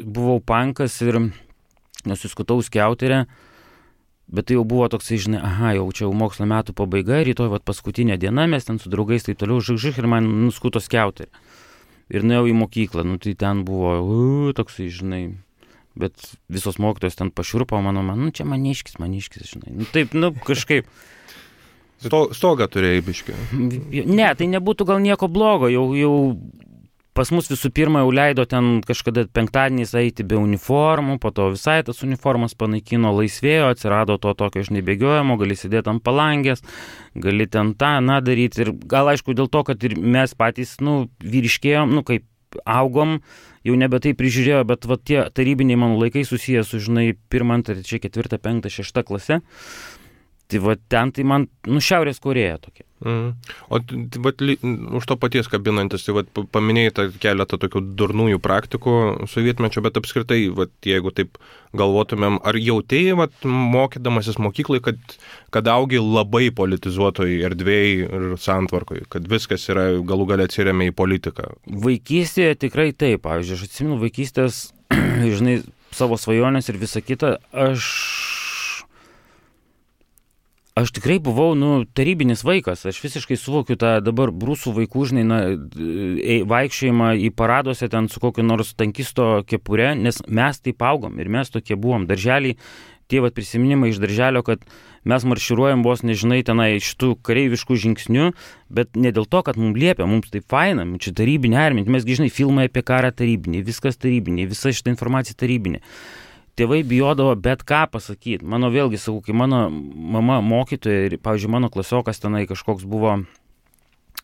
buvau pankas ir nusiskutau skiauterę, bet tai jau buvo toksai, žinai, jau čia jau mokslo metų pabaiga, rytoj paskutinė diena, mes ten su draugais taip toliau žig ir man nuskuto skiauterę. Ir nuėjau į mokyklą, tai ten buvo toksai, žinai, bet visos mokytojos ten pašiurpo, man, čia maniškis, žinai, taip, kažkaip. Stogą turėjai biškį. Ne, tai nebūtų gal nieko blogo, jau pas mus visų pirma jau leido ten kažkada penktadieniais eiti be uniformų, po to visai tas uniformas panaikino, laisvėjo, atsirado to tokio, žinai, bėgiojimo, gali sėdėti ant palangės, gali ten daryti ir gal aišku dėl to, kad ir mes patys, vyriškėjom, kaip augom, jau nebe tai prižiūrėjo, bet tie tarybiniai mano laikai susiję su, žinai, 1, 2, 3, 4, 5, 6 klase. Tai ten tai man, Šiaurės Korėja tokia. O už to paties kabinantis, tai paminėjai keletą tokių durnųjų praktikų sovietmečio, bet apskritai, jeigu taip galvotumėm, ar jautėjai, mokydamasis mokyklai, kad augi labai politizuotoj erdvėj ir santvarkoj, kad viskas yra galų gale atsiremia į politiką? Vaikystėje tikrai taip, pavyzdžiui, aš atsimenu vaikystės, žinai, savo svajonės ir visą kitą, Aš tikrai buvau, tarybinis vaikas, aš visiškai suvokiu tą dabar brūsų vaikų, žinai, vaikščiojimą į paraduose ten su kokiu nors tankisto kepure, nes mes taip augom ir mes tokie buvom. Darželiai, tie prisiminimai iš darželio, kad mes marširuojam vos, nežinai, tenai šitų kareiviškų žingsnių, bet ne dėl to, kad mums liepia, mums taip faina, čia tarybinė armija, mes, žinai, filmai apie karą tarybinį, viskas tarybinį, visa šitą informacija tarybinė. Tėvai bijodavo bet ką pasakyti. Mano vėlgi, sakau, kai mano mama mokytoja ir, pavyzdžiui, mano klasiokas tenai kažkoks buvo,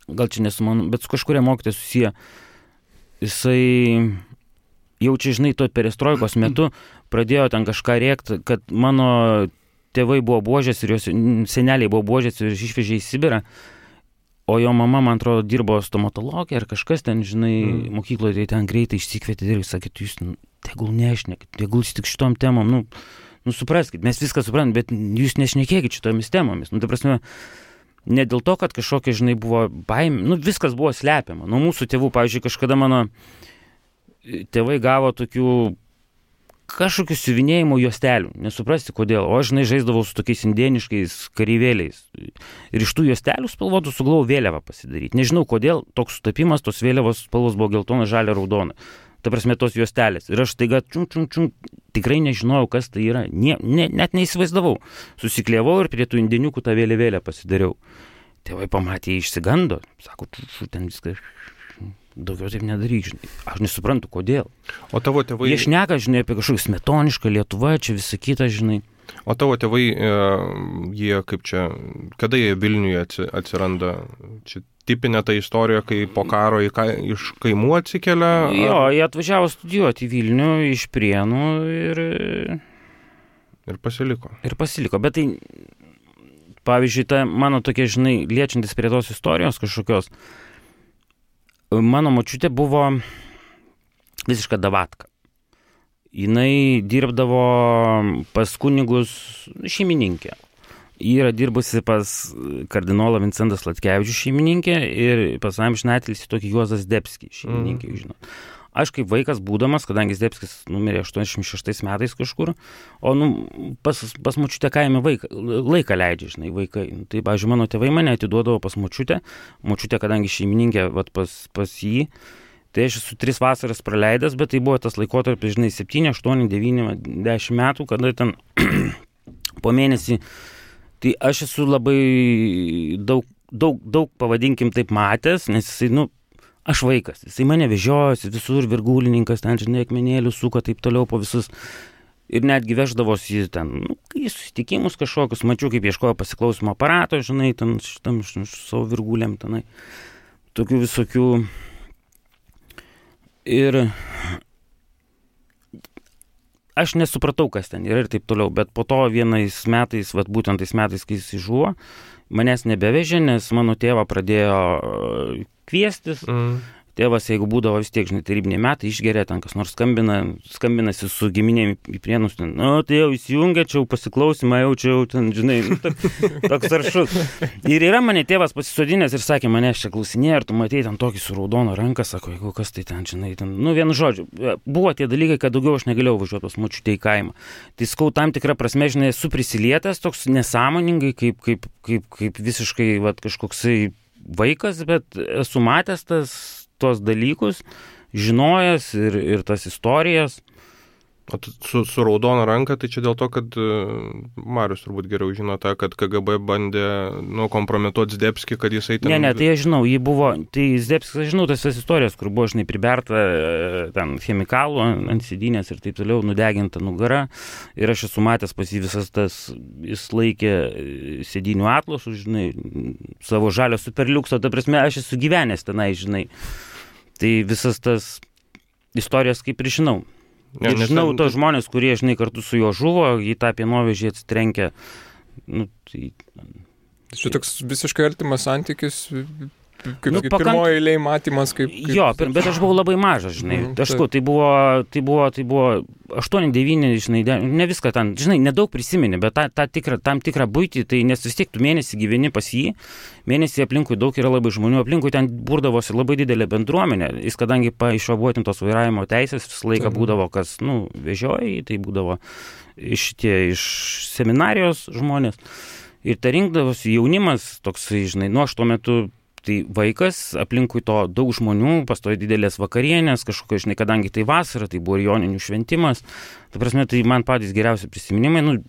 gal čia nesu mano, bet su kažkuria mokytoja susiję, jisai jau čia, žinai, to perestroikos metu pradėjo ten kažką rėkti, kad mano tėvai buvo buožės ir jos seneliai buvo buožės ir išvežė į Sibirą, o jo mama, man atrodo, dirbo stomatologija ar kažkas ten, žinai, mokykloje, tai ten greitai išsikvietė ir sakė, jūs tegul nešnekit, tegul tik šitom temom, supraskit, mes viską suprantam, bet jūs nešnekėkit šitomis temomis. Ta prasme, ne dėl to, kad kažkokia, žinai, buvo baimė, viskas buvo slepiama. Nuo mūsų tėvų, pavyzdžiui, kažkada mano tėvai gavo tokių kažkokių siuvinėjimo juostelių, nesuprasti kodėl, o aš, žinai, žaisdavau su tokiais indėniškais kareivėliais. Ir iš tų juostelių spalvotų sugalvojau vėliavą pasidaryti. Nežinau kodėl, toks sutapimas, tos vėliavos spalvos buvo geltona, žalia, raudona. Ta prasme, tos juostelės. Ir aš taiga tikrai nežinojau, kas tai yra. Net neįsivaizdavau. Susiklievau ir prie tų indėniukų tą vėliavėlę pasidariau. Tėvai pamatė, išsigando. Sako, ten viską... Daugiau taip nedaryk, žinai. Aš nesuprantu, kodėl. O tavo tėvai... Jie šneka, žinai, apie kažkokį smetonišką Lietuvą, čia visą kitą, žinai. O tavo tėvai, jie kaip čia, kada jie Vilniuje atsiranda? Čia tipinė ta istorija, kai po karo iš kaimų atsikelia? Jo, jie atvažiavo studijuoti į Vilnių iš Prienų ir pasiliko. Bet tai, pavyzdžiui, ta mano tokia, žinai, liečiantis prie tos istorijos kažkokios, mano močiutė buvo visiška davatka. Jinai dirbdavo pas kunigus šeimininkė. Ji yra dirbusi pas kardinolą Vincentą Sladkevičių šeimininkė ir pas amžinatilsį tokį Juozas Zdebskį šeimininkė, žinot. Aš kaip vaikas būdamas, kadangi Zdebskis numirė 86 metais kažkur, o pas močiutę kaime laiką leidžia, žinai, vaikai. Tai, pavyzdžiui, mano tėvai mane atiduodavo pas močiutę, kadangi šeimininkė pas jį, tai aš esu 3 vasaras praleidęs, bet tai buvo tas laikotarpis, žinai, 7, 8, 9, 10 metų, kada ten po mėnesį, tai aš esu labai daug pavadinkim taip matęs, nes jisai, aš vaikas, jisai mane vežiojosi visur, virgulininkas, ten, žinai, akmenėlių suko, taip toliau po visus. Ir netgi veždavosi ten, į susitikimus kažkokius, mačiau, kaip ieškojo pasiklausimo aparato, žinai, ten šitam savo virgulėm, tenai. Tokių visokių. Ir aš nesupratau, kas ten yra ir taip toliau, bet po to vienais metais, būtent tais metais, kai jis žuvo, manęs nebevežė, nes mano tėvą pradėjo kviestis. Tėvas, jeigu būdavo vis tiek, žinai, tarybiniai metai, išgeria, ten kas nors skambinasi su giminėm į Prienus, ten, tai jau įsijungia, čia jau pasiklausimą, jau ten, žinai, toks aršus. Ir yra mane tėvas pasisodinęs ir sakė, manęs čia klausinėjo, ir tu matei ten tokį su raudono ranką, sako, jeigu kas tai ten, žinai, ten, vienu žodžiu, buvo tie dalykai, kad daugiau aš negalėjau važiuoti pas močiutę į kaimą. Tai skau tam tikrą prasme, žinai, esu prisilietęs toks nesąmoningai, kaip visiškai kažkoksai vaikas, bet esu matęs tuos dalykus, žinojęs ir tas istorijas. O su raudona ranka, tai čia dėl to, kad Marius turbūt geriau žino tą, kad KGB bandė kompromituoti Zdebskį, kad jisai ten... Ne, tai aš žinau, tai Zdebskis, aš žinau tas istorijas, kur buvo, žinai, priberta ten chemikalų ant sėdynės ir taip toliau, nudeginta nugara. Ir aš esu matęs pas jį visas tas, jis laikė sėdynių atlasų, žinai, savo žalio superliukso, ta prasme, aš esu gyvenęs tenai, žinai. Tai visas tas istorijas kaip ir žinau. Ir žinau tos žmonės, kurie, žinai, kartu su juo žuvo, jį tą pienovežį atsitrenkė. Čia toks visiškai artimas santykis, kaip pirmoji eilėj matymas, kaip... Jo, bet aš buvau labai mažas, žinai. Tai buvo 8-9, žinai, ne viską ten, žinai, nedaug prisimeni, bet tam tikrą buitį, tai nes vis tiek tu mėnesį gyveni pas jį, mėnesį aplinkui daug yra labai žmonių, aplinkui ten burdavosi labai didelė bendruomenė, jis kadangi išvabuotintos vairavimo teisės visą laiką būdavo, kas, vežioja, tai būdavo iš seminarijos žmonės, ir tai rinkdavosi jaunimas toksai, žinai, aš tuo metu tai vaikas, aplinkui to daug žmonių, pastojo didelės vakarienės, kažkokio, žinai, kadangi tai vasara, tai buvo ir joninių šventimas. Ta prasme, tai man patys geriausi prisiminimai,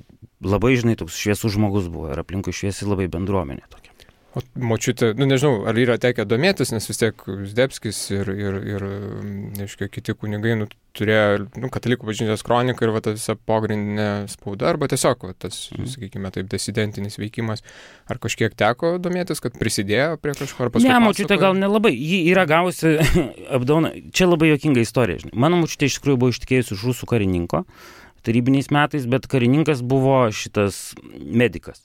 labai, žinai, toks šviesus žmogus buvo ir aplinkui šviesi labai bendruomenė tokia. O močiutė, nežinau, ar yra tekę domėtis, nes vis tiek Zdebskis ir nežinau, kiti kunigai turėjo katalikų bažnyčios kroniką ir ta visa pogrindinė spauda, arba tiesiog tas, sakykime, taip, disidentinis veikimas. Ar kažkiek teko domėtis, kad prisidėjo prie kažko, ar paskui pasakojo? Ne, močiutė gal nelabai. Ji yra gavusi apdovaną. Čia labai juokinga istorija. Žinai. Mano močiutė iš tikrųjų buvo ištekėjusi už rusų karininko tarybiniais metais, bet karininkas buvo šitas medikas.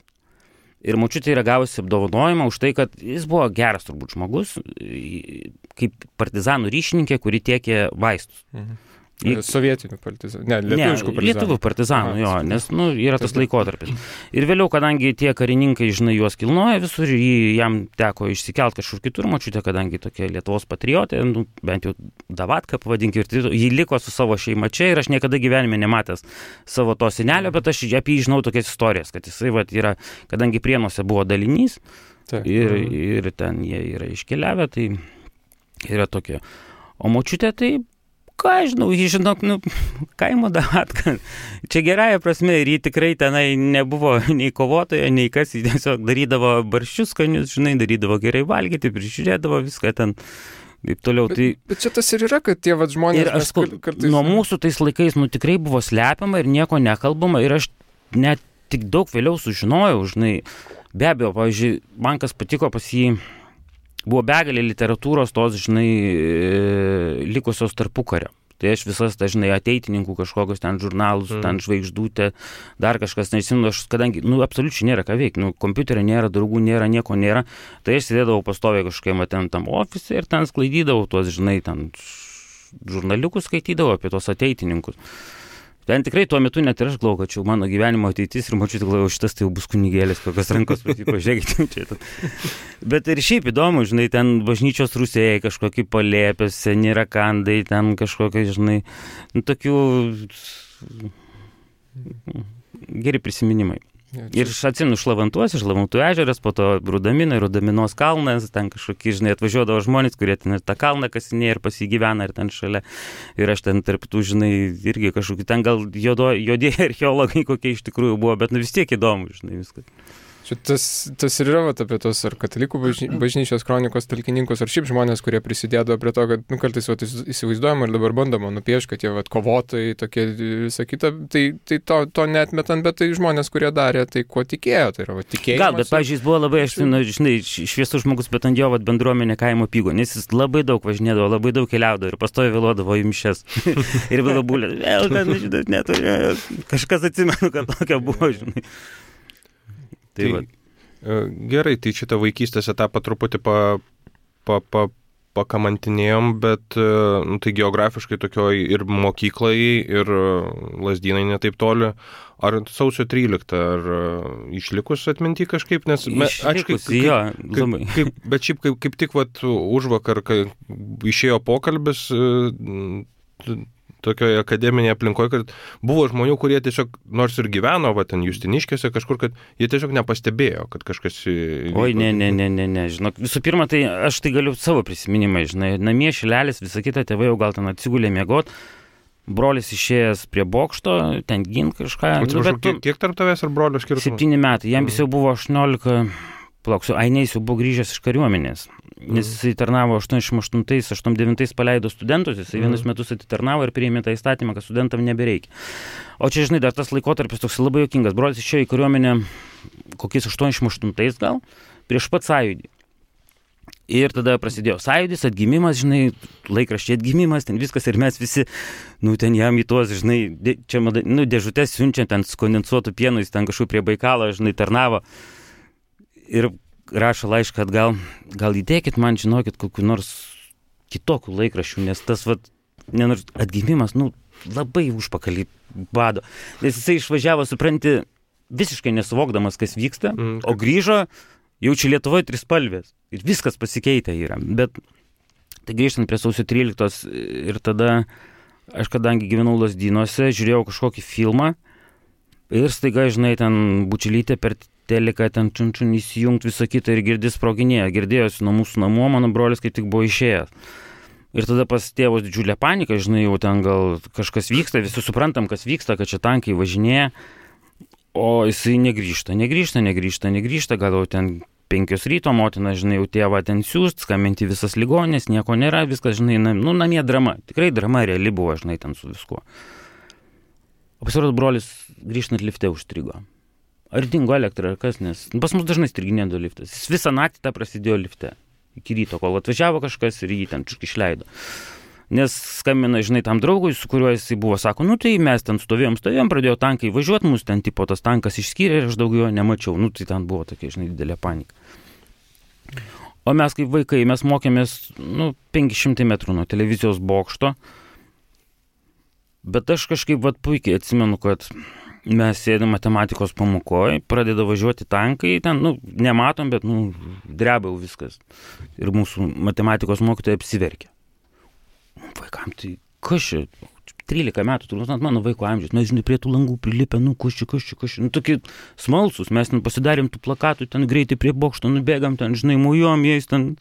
Ir močiutė yra gavusi apdovanojimą už tai, kad jis buvo geras turbūt žmogus, kaip partizanų ryšininkė, kuri tiekė vaistus. Sovietinių partizanų, lietuviškų partizanų. Lietuvių partizanų, jo, nes yra tas laikotarpis. Ir vėliau, kadangi tie karininkai, žinai, juos kilnoja visur, jam teko išsikelt kažkur kitur, močiutė, kadangi tokia Lietuvos patriotė, bent jau Davatka pavadinkime, ir jį liko su savo šeima čia ir aš niekada gyvenime nematęs savo to senelio, bet aš apie jį žinau tokias istorijas, kad jisai yra, kadangi Prienuose buvo dalinys ir ten jie yra iškeliavę, tai yra tokie. O močiutė tai ką žinau, žinok, kaimo Davatka. Čia gerąja prasme ir jį tikrai tenai nebuvo nei kovotoja, nei kas, jį tiesiog darydavo barščius skanius, žinai, darydavo gerai valgyti, prižiūrėdavo viską ten. Taip toliau. Bet čia tas ir yra, kad tie žmonės... Ir aš kartais... Nuo mūsų tais laikais, tikrai buvo slepiama ir nieko nekalbama ir aš net tik daug vėliau sužinojau, žinai, be abejo, pavyzdžiui, man kas patiko pas jį, buvo begalė literatūros tos, žinai, likusios tarpukario. Tai aš visas, žinai, ateitininkų kažkokius ten žurnalus, ten Žvaigždutė, dar kažkas, nežinau, aš kadangi, absoliučiai nėra ką veikti, kompiuterio nėra, draugų nėra, nieko nėra, tai aš sėdėdavau pastoviai kažkokiam ten tam ofise ir ten sklaidydavau tuos, žinai, ten žurnaliukus skaitydavau apie tos ateitininkus. Ten tikrai tuo metu net ir aš galvoju, kad čia mano gyvenimo ateitis ir mačiau, galvoju, šitas tai jau bus kunigėlis, kokios rankos, pažiūrėkite čia. Bet ir šiaip įdomu, žinai, ten bažnyčios rūsėjai, kažkokie palėpės, seni rakandai, ten kažkokie, žinai, tokių geri prisiminimai. Ir aš atsimenu Šlavantų ežeras, po to Rudaminos kalnas, ten kažkokie, žinai, atvažiuodavo žmonės, kurie ten ir tą kalną kasinėja ir pasigyvena ir ten šalia. Ir aš ten tarp tų, žinai, irgi kažkokie, ten gal juodieji archeologai kokie iš tikrųjų buvo, bet vis tiek įdomu, žinai, viskas. Tas ir yra apie tos ar katalikų bažnyčios kronikos talkininkus, ar šiaip žmonės, kurie prisidėdavo prie to, kad kartais įsivaizduojama ir dabar bandoma nupiešti, kad jie kovotojai, tokie visą kitą, tai to neatmetant, bet tai žmonės, kurie darė, tai kuo tikėjo, tai yra tikėjimas. Gal, bet, pavyzdžiui, jis buvo labai, žinai, šviesus žmogus, bet ant jo bendruomenė kaimo pygo, nes jis labai daug važinėdavo, labai daug keliaudavo ir pastoviai vėluodavo į mišias. Ir vėliau būlė, vėl ten, žinai, neturiu, kažkas atsimenu, kad tokia buvo, žinai. Tai gerai, tai šitą vaikystės etapą truputį pakamantinėjom, bet tai geografiškai tokioj ir mokyklai, ir Lazdynai netaip toli. Ar sausio 13, ar išlikus atminti kažkaip, nes... Išlikus, jo, labai. Bet šiaip kaip tik užvakar, kai išėjo pokalbis... tokioje akademinėje aplinkoje, kad buvo žmonių, kurie tiesiog, nors ir gyveno, ten Justiniškėse kažkur, kad jie tiesiog nepastebėjo, kad kažkas įvyko. Oi, ne, žinok, visų pirma, tai aš tai galiu savo prisiminimai, žinai, namie šilelis, visą kitą, tėvai jau gal ten atsigulė miegot, brolis išėjęs prie bokšto, ten gint kažką. Atsiprašau, kiek tarp tavęs ir brolio skirtumas? 7 metai, jam vis jau buvo 18, Ainės jau buvo grįžęs iš kariuomenės, nes jisai tarnavo 88-89 paleido studentus, jisai vienus metus atitarnavo ir priėmė tą įstatymą, kad studentam nebereikia. O čia, žinai, dar tas laikotarpis toks labai juokingas. Brolis išėjo į kariuomenę kokiais 88 gal, prieš pat sąjūdį. Ir tada prasidėjo sąjūdis, atgimimas, žinai, laikraščiai atgimimas, ten viskas ir mes visi, ten jam į tuos, žinai, čia, dėžutės siunčia, ten kondensuotų pienų, jis ten kažkur prie Baikalo, žinai, tarnavo. Ir rašo laišką, kad gal įdėkit man, žinokit, kokiu nors kitokių laikraščių, nes tas, atgimimas, labai užpakalį bado. Nes jisai išvažiavo, supranti, visiškai nesuvokdamas, kas vyksta, o grįžo, jaučia Lietuvoje trispalvės. Ir viskas pasikeitę yra. Bet tai grįžtant prie sausio 13 ir tada aš, kadangi gyvenau Lazdynuose, žiūrėjau kažkokį filmą ir staiga, žinai, ten bučelytė per teliką, ten čunčun įsijungt visą kitą ir girdis sproginėja. Girdėjosi nuo mūsų namų, mano brolis kaip tik buvo išėjęs. Ir tada pas tėvus didžiulė panika, žinai, jau ten gal kažkas vyksta, visi suprantam, kas vyksta, kad čia tankai važinėja, o jisai negrįžta, gal jau ten 5 ryto, motina, žinai, jau tėvą ten siūst, skambinti visas ligoninės, nieko nėra, viskas, žinai, namie drama, tikrai drama reali buvo, žinai, ten su viskuo. O pasirodo, brolis grįžtant lifte užstrigo. Ar dingo elektra, ar kas, nes pas mus dažnai striginėdavo liftas. Jis visą naktį tą prasidėjo lifte, iki ryto, kol atvažiavo kažkas ir jį ten išleido. Nes skambina, žinai, tam draugui, su kuriuo jisai buvo, sako, tai mes ten stovėjom, pradėjo tankai važiuoti, mus ten tipo tas tankas išskyrė ir aš daugiau jo nemačiau. Tai ten buvo tokia, žinai, didelė panika. O mes kaip vaikai, mes mokėmės, 500 metrų nuo televizijos bokšto, bet aš kažkaip puikiai atsimenu, kad mes sėdėm matematikos pamokoje, pradeda važiuoti tankai, ten, nematom, bet, dreba jau viskas. Ir mūsų matematikos mokytoja apsiverkė. Vaikam, tai kas čia? 13 metų, turbūt mano vaiko amžius, mes, žinai, prie tų langų prilipę, kas čia. Tokie smalsus, mes ten pasidarėm tų plakatų, ten greitai prie bokšto nubėgam, ten, žinai, mujuom jais, ten...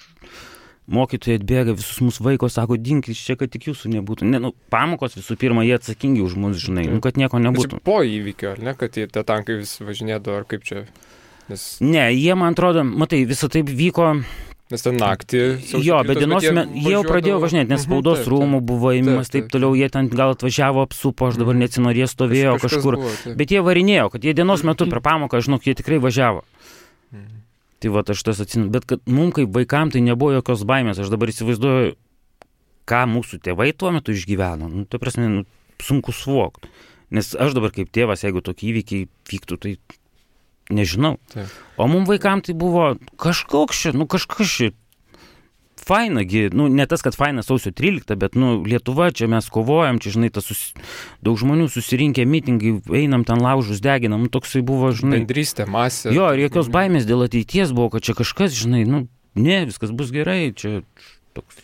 Mokytojai atbėga, visus mūsų vaiko, sako, dinkis čia, kad tik jūsų nebūtų. Pamokos visų pirma, jie atsakingi už mus, žinai, kad nieko nebūtų. Po įvykio, ar ne, kad tie tankai vis važinėdavo, ar kaip čia? Ne, jie, man atrodo, matai, visą taip vyko... Nes ten naktį... Jo, bet dienos jie jau pradėjo važinėti, nes spaudos rūmų buvo įmimas, taip toliau, jie ten gal atvažiavo apsupo, aš dabar neatsinoriu, jie stovėjo kažkur. Bet jie varinėjo, kad jie dienos metu per pamoką, žinok, jie tikrai važiavo. Tai aš tas atsimenu, bet kad mums kaip vaikam tai nebuvo jokios baimės, aš dabar įsivaizduoju, ką mūsų tėvai tuo metu išgyveno, tai prasme, sunku suvokti, nes aš dabar kaip tėvas, jeigu tokie įvykiai vyktų, tai nežinau, o mums vaikam tai buvo kažkas čia, fainagi, nu, ne tas, kad faina sausio 13, bet, nu, Lietuva, čia mes kovojam, čia, žinai, daug žmonių susirinkę mitingai, einam ten laužus, deginam, nu, toksai buvo, žinai. Bendrystė, masė. Jo, ir jokios baimės dėl ateities buvo, kad čia kažkas, žinai, nu, ne, viskas bus gerai, čia toks.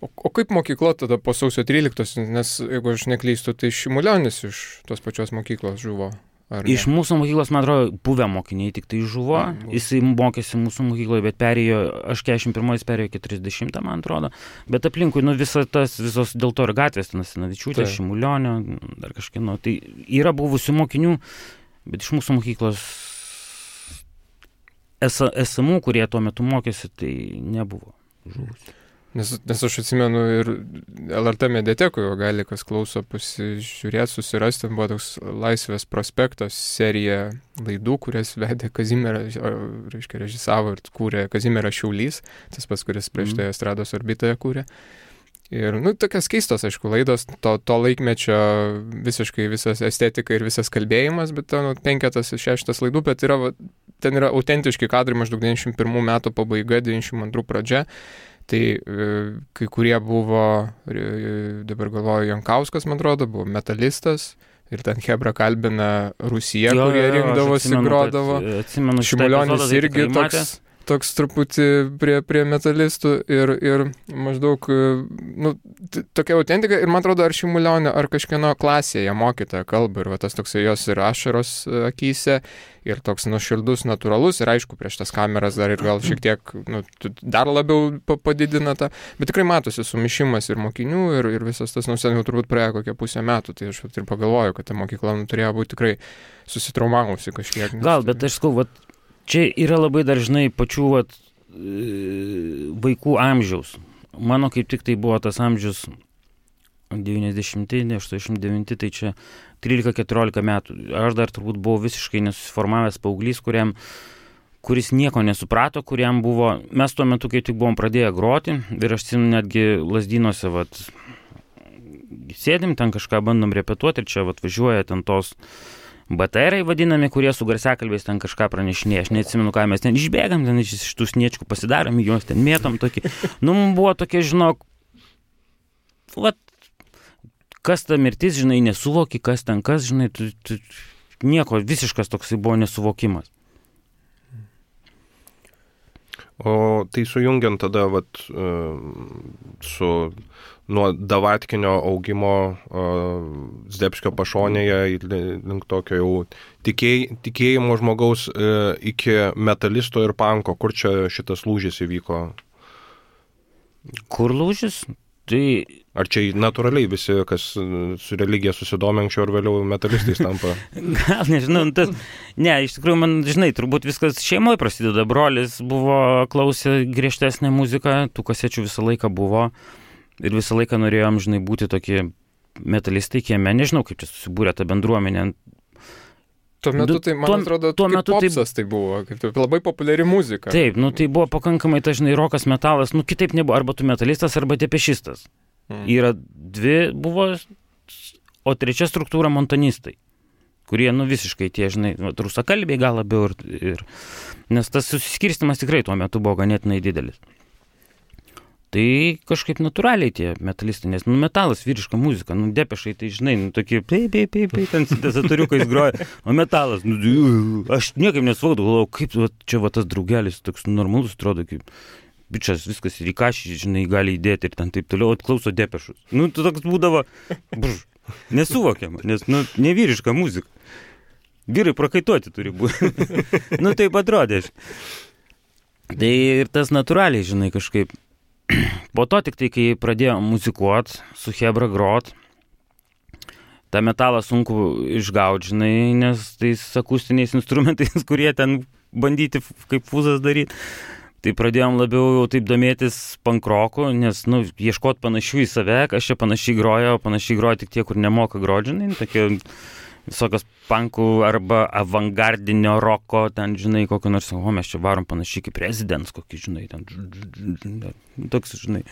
O kaip mokykla tada po sausio 13, nes jeigu aš neklystu, tai Šimulionis iš tos pačios mokyklos žuvo? Iš mūsų mokyklos, man atrodo, buvę mokiniai tik tai žuvo, jisai mokėsi mūsų mokykloje, bet perėjo, aš 41 perėjo 40, man atrodo, bet aplinkui, nu, visos dėl to ir gatvės, Nasinavičiūtė, Šimulionio, dar kažkieno, tai yra buvusių mokinių, bet iš mūsų mokyklos esamų, kurie tuo metu mokėsi, tai nebuvo žuvusių. Nes aš atsimenu ir LRT mediatekoje gali kas klauso pasižiūrėti, susirasti, buvo toks Laisvės prospektos serija laidų, kurias vedė Kazimieras, reiškia, režisavo ir kūrė Kazimieras Šiaulys, tas pats, kuris prieš tai Estrados orbitoje kūrė. Ir, nu, tokias keistos, aišku, laidos, to laikmečio visiškai visas estetika ir visas kalbėjimas, bet ten 5-6 laidų, bet ten yra autentiški kadrai maždaug 91 metų pabaiga, 92 pradžia. Tai kai kurie buvo, dabar galvoju, Jankauskas, man atrodo, buvo metalistas ir ten Hebra kalbina Rusiją, kurie rinkdavosi, grodavo. Šimulionis irgi toks truputį prie metalistų ir maždaug, nu, tokia autentika ir man atrodo, ar Šimulionio, ar kažkieno klasėje mokytoja kalba ir va, tas toksai jos ir ašaros akyse ir toks nuoširdus, natūralus ir aišku, prieš tas kameras dar ir gal šiek tiek, nu, dar labiau padidina tą, bet tikrai matosi sumišimas ir mokinių ir visas tas, nu, seniau turbūt praėjo kokią pusę metų, tai aš ir pagalvoju, kad ta mokykla turėjo būti tikrai susitraumavusi kažkiek. Gal, bet aš skau, čia yra labai dažnai pačių vaikų amžiaus. Mano kaip tik tai buvo tas amžius 90-89, tai čia 13-14 metų. Aš dar turbūt buvau visiškai nesusiformavęs paauglys, kuris nieko nesuprato, kuriam buvo... Mes tuo metu, kai tik buvom pradėję groti, ir aš netgi Lazdynuose, sėdim, ten kažką bandom repetuoti, ir čia važiuoja ten tos BTR-ai vadinami, kurie su garsiakalbiais ten kažką pranešinėja. Aš neatsimenu, ką mes ten išbėgam, ten iš tų sniečkų pasidarom, juos ten mėtom tokį. Nu, buvo tokie, žinok, kas ta mirtis, žinai, nesuvoki, kas ten kas, žinai, nieko, visiškas toksai buvo nesuvokimas. O tai sujungiant tada su nuo davatkinio augimo Zdebskio pašonėje link tokio jau tikėjimo žmogaus iki metalisto ir panko. Kur čia šitas lūžis įvyko? Kur lūžis? Tai... Ar čia natūraliai visi, kas su religija susidomė anksčiau ar vėliau metalistais tampa? Gal nežinau, ne, iš tikrųjų man, žinai, turbūt viskas šeimoje prasideda. Brolis klausė griežtesnę muziką, tų kasečių visą laiką buvo ir visą laiką norėjom, žinai, būti tokie metalistai kieme. Nežinau, kaip čia susibūrė ta bendruomenė. Tuo metu tai, man atrodo, kaip popsas tai buvo, kaip labai populiari muzika. Taip, nu tai buvo pakankamai, žinai, rokas, metalas, nu kitaip nebuvo, arba tu metalistas, arba depešistas. Yra dvi buvo, o trečia struktūra montanistai, kurie, nu, visiškai tie, žinai, rusakalbiai gal labiau ir nes tas susiskirstimas tikrai tuo metu buvo ganėtinai didelis. Tai kažkaip natūraliai tie metalistai, nes, nu, metalas, vyriška muzika, nu, depešai, tai, žinai, nu, tokie, ten sintezatoriukais groja, o metalas, nu, aš niekaip nesuvokdavau, galvojau, kaip čia tas draugelis toks normalus atrodo, kaip bičas viskas ir į kašį, žinai, gali įdėti ir ten taip toliau, klauso depešus. Nu, toks būdavo, nesuvokiama, nes, nu, nevyriška muzika. Vyrai prakaituoti turi būti. Nu, taip atrodė. Tai ir tas natūraliai, žinai, kažkaip. Po to tik tai, kai pradėjo muzikuot, su Hebra grot, tą metalą sunku išgauti, žinai, nes tais akustiniais instrumentais, kurie ten bandyti kaip fuzas daryti. Tai pradėjom labiau jau taip domėtis pankroku, nes, nu, ieškot panašių į save, aš čia panašiai grojo tik tie, kur nemoka grot, žinai, tokie visokios pankų arba avangardinio roko, ten, žinai, kokio nors, mes čia varom panašiai kaip Residents, kokį, žinai, ten, toks, žinai.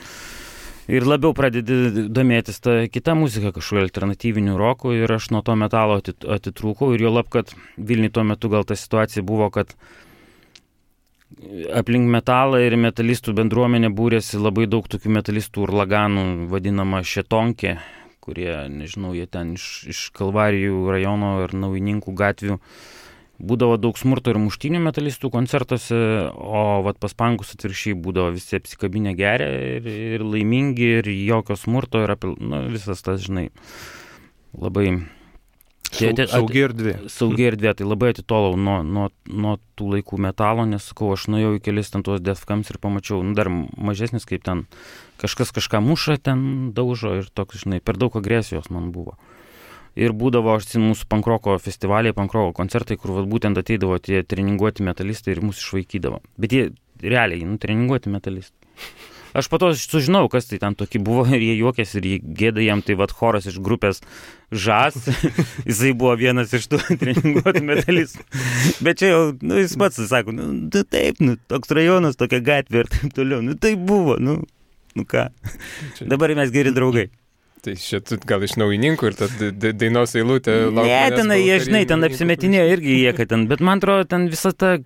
Ir labiau pradedi domėtis tą kitą muziką, kažkokiu alternatyviniu roku, ir aš nuo to metalo atitrūkau, ir jo lab, kad Vilniui tuo metu gal ta situacija buvo, kad aplink metalą ir metalistų bendruomenė būrėsi labai daug tokių metalistų urlaganų, vadinama šetonkė, kurie, nežinau, jie ten iš Kalvarijų rajono ir Naujininkų gatvių. Būdavo daug smurto ir muštynių metalistų koncertuose, o vat pas pankus atvirkščiai būdavo visi apsikabinę geria ir laimingi ir jokio smurto ir visas tas, žinai, labai... Saugi erdvė. Saugi erdvė, tai labai atitolau nuo tų laikų metalo, nes, sakau, aš nuėjau į kelis ten tuos Defcams ir pamačiau, dar mažesnis, kaip ten kažkas kažką muša, ten daužo ir toks, žinai, per daug agresijos man buvo. Ir būdavo, aš atsimenu, mūsų pankroko festivaliai, pankroko koncertai, kur būtent ateidavo tie treninguoti metalistai ir mūsų išvaikydavo. Bet jie realiai, treninguoti metalistai. Aš po to sužinau, kas tai ten tokie buvo ir jie juokėsi ir jie gėda jam, tai vat choras iš grupės Žas, jisai buvo vienas iš tų treninguotų metalistų. Bet čia jau, jis pats sako, taip, toks rajonas, tokia gatvė ir taip toliau, tai buvo, ką. Dabar mes geri draugai. Tai šitų gal iš Naujininkų ir ta dainos eilutė laukia. Ne, ten jie, žinai, ten apsimetinėjo irgi jie, kad ten, bet man atrodo, ten visa ta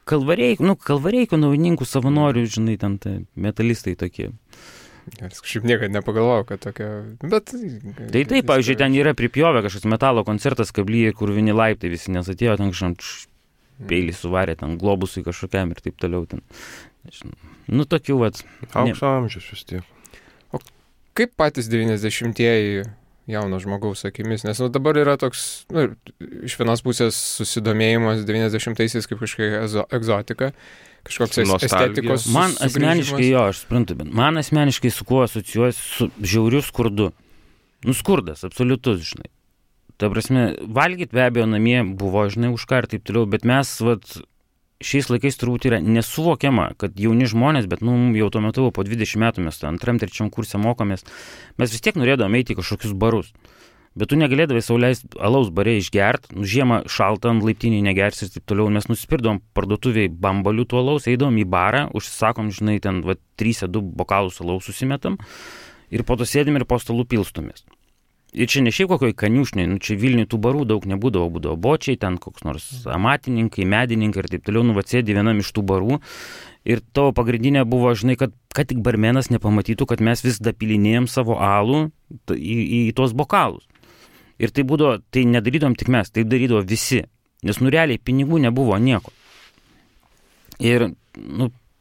Kalvareikų Naujininkų savanorių, žinai, ten metalistai tokie. Aš kažkaip niekada nepagalvojau, kad tokia, bet... Tai taip, pavyzdžiui, ten yra pripjovę kažkoks metalo koncertas Kablyje, kur vieni laiptai visi nesatėjo, ten kažkam peilį suvarė, ten globusui kažkokiam ir taip toliau. Ten. Tokių, vat... Aukso amžius vis tiek. Kaip patys 90-ieji jauno žmogaus akimis, nes dabar yra toks, iš vienos pusės susidomėjimas 90-aisiais kaip kažkokia egzotika, kažkoks estetikos man asmeniškai, aš suprantu, bet man asmeniškai su kuo asocijuosi su žiauriu skurdu. Skurdas, absoliutus, žinai. Ta prasme, valgyt be abejo namie buvo, žinai, už ką ir taip toliau, bet mes, šiais laikais turbūt yra nesuvokiama, kad jauni žmonės, bet jau tuo metu po 20 metų mes 2-3 kurse mokomės, mes vis tiek norėdavome eiti į kažkokius barus. Bet tu negalėdavai sau leisti alaus bare išgert, žiemą šaltą ant laiptiniai negersi ir taip toliau. Mes nusipirdavom parduotuviai bambalių tų alaus, eidavom į barą, užsisakom, žinai, ten 3-2 bokalus alaus susimetam ir po to sėdim ir po stalų pilstumės. Ir čia ne šiaip kokioj kaniušniai, čia Vilniui tų barų daug nebūdavo, būdavo bočiai, ten koks nors amatininkai, medininkai ir taip toliau, sėdi vienam iš tų barų ir tavo pagrindinė buvo, žinai, kad tik barmenas nepamatytų, kad mes vis dapilinėjom savo alų į tuos bokalus. Ir tai būdavo, tai nedarydom tik mes, tai darydavo visi, nes realiai pinigų nebuvo nieko. Ir,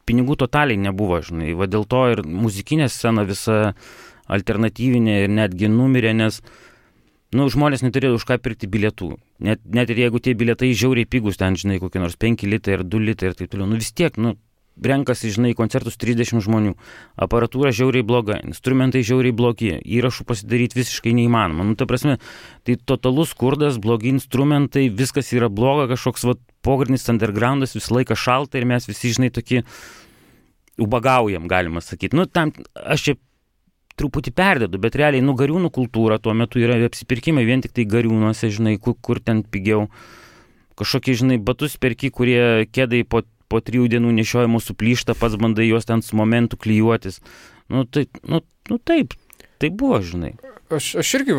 pinigų totaliai nebuvo, žinai, dėl to ir muzikinė scena visa alternatyvinė ir netgi numirė, nes žmonės neturėjo už ką pirkti bilietų. Net ir jeigu tie bilietai žiauriai pigus, ten, žinai, kokie nors 5 litai ir 2 litai ir taip toliau, vis tiek, renkasi, žinai, koncertus 30 žmonių. Aparatūra žiauriai bloga, instrumentai žiauriai blogi, įrašų pasidaryti visiškai neįmanoma. Ta prasme, tai totalus skurdas, blogi instrumentai, viskas yra bloga, kažkoks pogrindinis undergroundas, visą laiką šalta ir mes visi, žinai, tokie ubagaujam, galima sakyti. Tam aš čia truputį perdedu, bet realiai gariūnų kultūra tuo metu yra apsipirkimai vien tik tai gariūnuose, žinai, kur ten pigiau. Kažkokie, žinai, batus perki, kurie kėdai po 3 dienų nešiojimų suplyšta, pats bandai juos ten su momentu klijuotis. Taip, tai buvo, žinai. Aš irgi,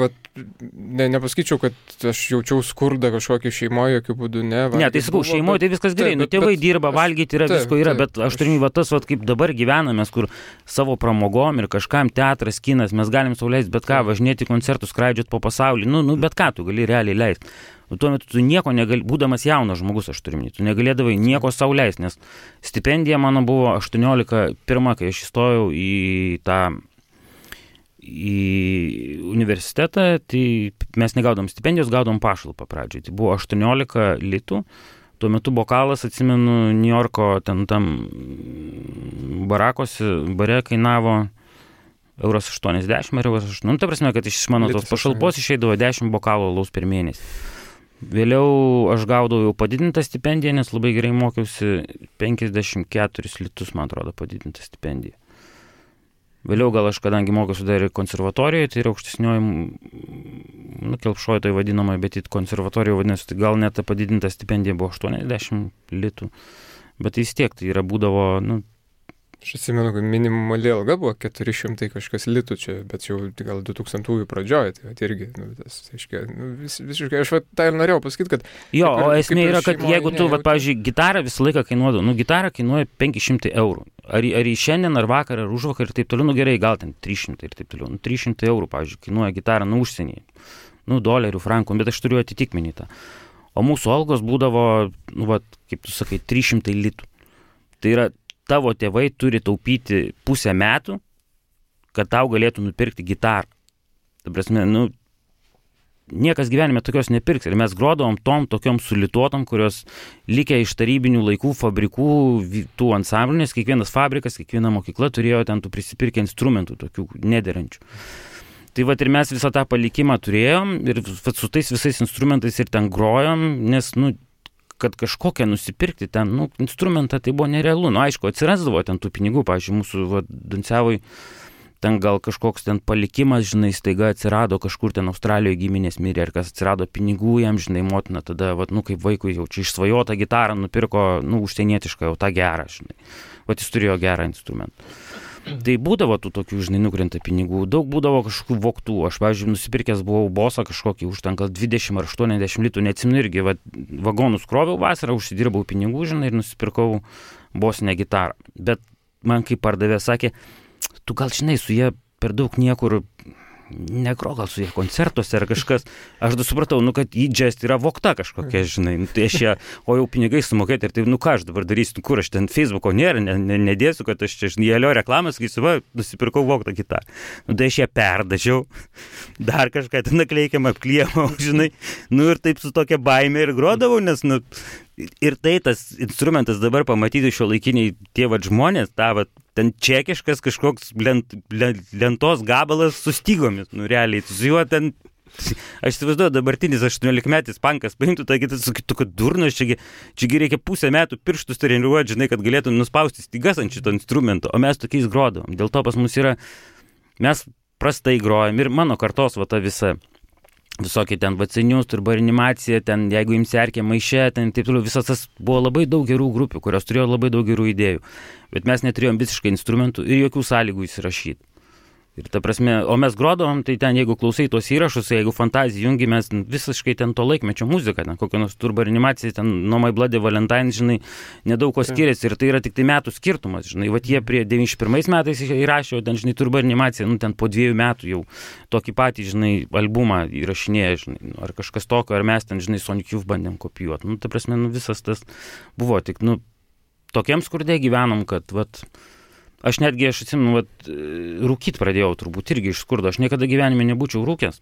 nepasakyčiau, kad aš jaučiau skurdą kažkokį šeimoje, jokių būdų ne. Ne, tai sakau, šeimoje tai viskas gerai, tėvai dirba, valgyti yra, visko yra, bet aš turiu tas, kaip dabar gyvename, kur savo pramogom ir kažkam teatras, kinas, mes galim sau leisti bet ką, važinėti koncertus, skraidžioti po pasaulį, bet ką tu gali realiai leisti. Tuo metu tu nieko negali, būdamas jaunas žmogus, aš turiu minėti, tu negalėdavai nieko sau leisti, nes stipendija mano buvo 18 pirma, kai aš įstojau į universitetą, tai mes negaudom stipendijos, gaudom pašalpą pradžiai. Tai buvo 18 litų. Tuo metu bokalas, atsimenu, New Yorko ten tam bare kainavo €80 ar €80. Ta prasme, kad iš mano tos pašalpos išeidavo 10 bokalų alaus per mėnesį. Vėliau aš gaudavau jau padidintą stipendiją, nes labai gerai mokiausi, 54 litus, man atrodo, padidintą stipendiją. Vėliau gal aš, kadangi mokiausi dar ir konservatorijoje, tai yra aukštesnioji, kelpšoje tai vadinamoje, bet į konservatorijoje vadinasi, tai gal net ta padidinta stipendija buvo 80 litų. Bet vis tiek tai yra būdavo, Aš atsimenu, kad minimali alga buvo 400 kažkas litų čia, bet jau gal 2000-ųjų pradžioje, tai irgi, tas, aiškiai, visiškai, aš tą ir norėjau pasakyti, kad... Jo, o esmė yra, kad jeigu tu, pavyzdžiui, gitarą visą laiką kainuodavo, gitarą kainuoja 500 eurų. Ar į šiandien, ar vakar, ar užvakar ir taip toliau, gerai, gal ten 300 ir taip toliau. 300 eurų, pavyzdžiui, kainuoja gitarą užsienyje. Dolerių, frankų, bet aš turiu atitikmenį tą. O mūsų algos būdavo, kaip tu sakai, 300 litų. Tai yra, tavo tėvai turi taupyti pusę metų, kad tau galėtų nupirkti gitarą. Ta prasme, niekas gyvenime tokios nepirks. Ir mes grodavom tokiom sulituotom, kurios likę iš tarybinių laikų fabrikų, tų ansamblių, nes kiekvienas fabrikas, kiekviena mokykla turėjo ten tų prisipirkę instrumentų, tokių nederančių. Tai ir mes visą tą palikimą turėjom ir su tais visais instrumentais ir ten grojom, nes, kad kažkokią nusipirkti ten, instrumentą tai buvo nerealu. Aišku, atsirasdavo ten tų pinigų, pavyzdžiui, mūsų Danciavoj ten gal kažkoks ten palikimas, žinai, staiga atsirado kažkur ten Australijoje giminės mirė, ir kas atsirado pinigų jam, žinai, motina tada, kaip vaikui jau čia išsvajotą gitarą nupirko, užsienietišką, jau tą gerą, žinai. Jis turėjo gerą instrumentą. Tai būdavo tų tokių, žinai, nukrenta pinigų, daug būdavo kažkokių vogtų. Aš, pavyzdžiui, nusipirkęs buvau bosą kažkokį už ten gal 20 ar 80 litų, neatsimenu irgi, vagonus kroviau vasarą, užsidirbau pinigų, žinai, ir nusipirkau bosinę gitarą. Bet man kaip pardavė sakė, tu gal, žinai, su jie per daug niekur negro, gal su jie koncertuose ar kažkas. Aš supratau, kad į džest yra vogta kažkokia, žinai, tai aš ją, o jau pinigai sumokėti ir tai, ką aš dabar darysiu, kur aš ten Facebooko nėra, nedėsiu, kad aš čia, žinai, Jelio reklamas, kai nusipirkau vogtą gitarą. Tai aš ją perdažiau, dar kažką ten nakleikėm, apklijamau, žinai, ir taip su tokia baime ir grodavau, nes, ir tai tas instrumentas dabar pamatyti šiuolaikiniai tie žmonės, ten čekiškas kažkoks lentos gabalas su stygomis, realiai, su juo ten, aš įsivaizduoju, dabartinis 18-metis pankas paimtų, tai kitas sakytų, kad durnas, čiagi reikia pusę metų pirštus treniruoti, žinai, kad galėtų nuspausti stygas ant šito instrumento, o mes tokiais grodavom. Dėl to pas mus yra, mes prastai grojam ir mano kartos ta visa, visokie ten vacinius, turba animacija, ten jeigu imsi Erkę maiše, ten taip toliau, visas tas buvo labai daug gerų grupių, kurios turėjo labai daug gerų idėjų, bet mes neturėjom visiškai instrumentų ir jokių sąlygų įsirašyti. Ir ta prasme, o mes grodavom, tai ten jeigu klausai tos įrašus, jeigu fantaziją jungi, mes visiškai ten to laikmečio muziką, ten kokią nors turba animacija, ten No My Bloody Valentine, žinai, nedaug ko skiriasi ir tai yra tik tai metų skirtumas, žinai, jie prie 91 metais įrašė, ten, žinai, turba animacija, ten po 2 metų jau tokį patį, žinai, albumą įrašinėja, žinai, ar kažkas tokio, ar mes ten, žinai, Sonic Youth bandėm kopijuoti. Ta prasme, visas tas buvo tik, tokiem skurde gyvenom, kad, aš atsimenu, rūkyt pradėjau turbūt irgi iš skurdo. Aš niekada gyvenime nebūčiau rūkęs,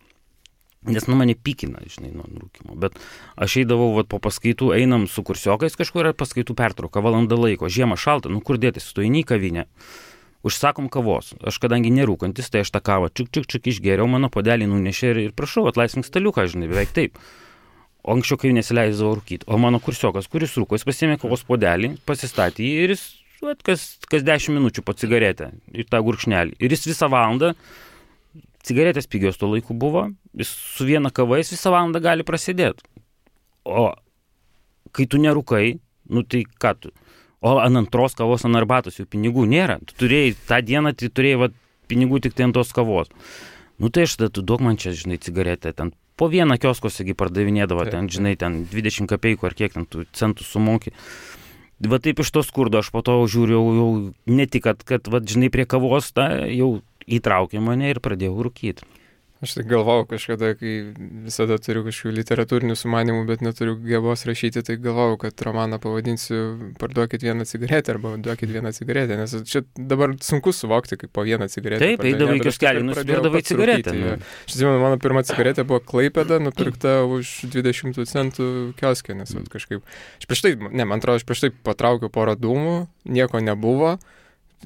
nes mane pykina, žinai, nuo rūkymo. Bet aš eidavau po paskaitų, einam su kursiokais kažkur, paskaitų pertrauką, valandą laiko, žiemą šalta, kur dėtis, tu eini į kavinę, užsakom kavos. Aš kadangi nerūkantis, tai aš tą kavą čiuk išgėriau, mano puodelį nunešė ir prašau, atlaisvink staliuką, žinai, beveik taip. O anksčiau kai nesileisdavo rūkyti. O mano kursiokas, kuris rūko, jis pasiėmė kavos puodelį, pasistatė ir jis kas 10 minučių po cigaretę ir tą gurkšnelį. Ir jis visą valandą, cigaretės pigios tuo laiku buvo, jis su viena kava jis visą valandą gali prasidėti. O kai tu nerūkai, tai ką tu? O ant antros kavos, ant arbatos jau pinigų nėra. Tu turėjai tą dieną, tai turėjai pinigų tik tai ant tos kavos. Tai aš tada, tu duok man čia, žinai, cigaretę. Ten po vieną kioskosegi pardavinėdavo, ten, žinai, ten 20 kapeikų ar kiek ten tų centų sumoki. Taip iš to skurdo aš po to žiūriu jau ne tik, kad žinai, prie kavos jau įtraukė mane ir pradėjau rūkyti. Aš tai galvau kažkada, kai visada turiu kažkokių literatūrinių sumanimų, bet neturiu gebos rašyti, tai galvau, kad romaną pavadinsiu Parduokit vieną cigaretę arba Duokit vieną cigaretę, nes čia dabar sunku suvokti, kaip po vieną cigaretę. Taip, eidavai kioskelį, nusipirkdavai cigaretę. Aš atsimenu, mano pirma cigaretė buvo Klaipėda, nupirkta už 20 centų kioske, nes kažkaip... Man atrodo, aš prieš tai patraukiau porą dūmų, nieko nebuvo.